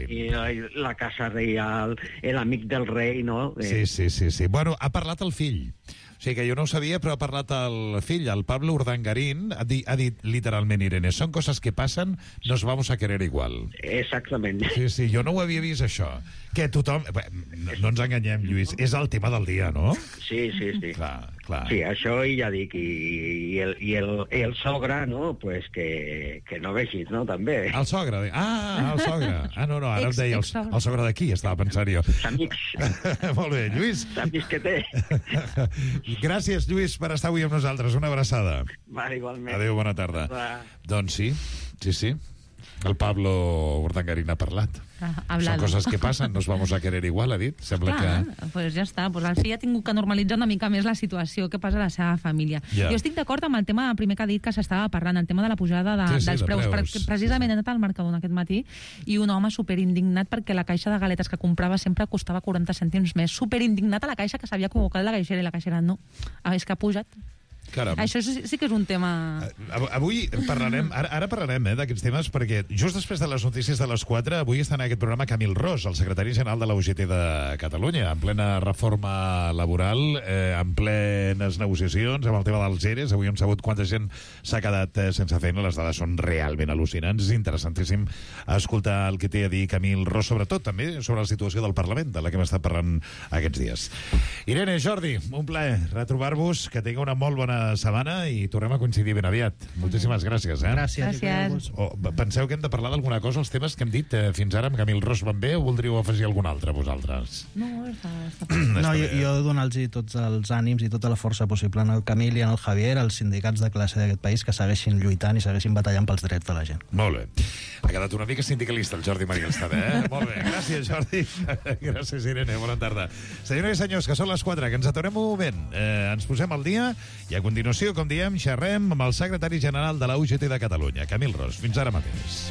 I la Casa Reial, l'amic del rei, no? Sí. Bueno, ha parlat el fill. O sigui que jo no ho sabia, però ha parlat el fill, el Pablo Urdangarín, ha dit literalment, Irene, són coses que passen, nos vamos a querer igual. Exactament. Sí, jo no ho havia vist, això. Que tothom... No ens enganyem, Lluís, és el tema del dia, no? Sí. Clar. Sí, això i ja dic, i el sogre, no? Pues que no vegis, no? També. El sogre? El sogre. No, ara em deia el sogre d'aquí, estava pensant jo. Amics. Molt bé, Lluís. Amics que té. Gràcies, Lluís, per estar avui amb nosaltres. Una abraçada. Va, igualment. Adéu, bona tarda. Doncs sí. El Pablo Urdangarín ha parlat. Són coses que passen, nos vamos a querer igual, ha dit. Sembla que... Pues ja està. Pues el fill ha tingut que normalitzar una mica més la situació que passa a la seva família. Ja. Jo estic d'acord amb el tema primer que ha dit que s'estava parlant, el tema de la pujada dels preus. Perquè precisament he anat al Mercadona aquest matí i un home superindignat perquè la caixa de galetes que comprava sempre costava 40 cèntims més. Superindignat a la caixa, que s'havia convocat la caixera i la caixera no. És que ha pujat. Caram. Això sí que és un tema... Avui parlarem, ara parlarem d'aquests temes, perquè just després de les notícies de les 4, avui està en aquest programa Camil Ros, el secretari general de la UGT de Catalunya, en plena reforma laboral, en plenes negociacions, amb el tema dels ERES. Avui hem sabut quanta gent s'ha quedat sense feina. Les dades són realment al·lucinants. És interessantíssim escoltar el que té a dir Camil Ros, sobretot també sobre la situació del Parlament, de la que hem estat parlant aquests dies. Irene, Jordi, un plaer retrobar-vos, que tingueu una molt bona setmana i tornem a coincidir ben aviat. Moltíssimes gràcies. Gràcies. Penseu que hem de parlar d'alguna cosa? Els temes que hem dit fins ara amb Camil Ros van bé o voldríeu afegir algun altre, vosaltres? No, està No, jo donar-los tots els ànims i tota la força possible en el Camil i en el Javier, als sindicats de classe d'aquest país, que segueixin lluitant i segueixin batallant pels drets de la gent. Molt bé. Ha quedat una mica sindicalista el Jordi Marielstad, Molt bé. Gràcies, Jordi. Gràcies, Irene. Bona tarda. Senyores i senyors, que són les 4, que ens aturem un moment. Ens posem al dia i a continuació, com diem, xerrem amb el secretari general de la UGT de Catalunya, Camil Ros. Fins ara mateix.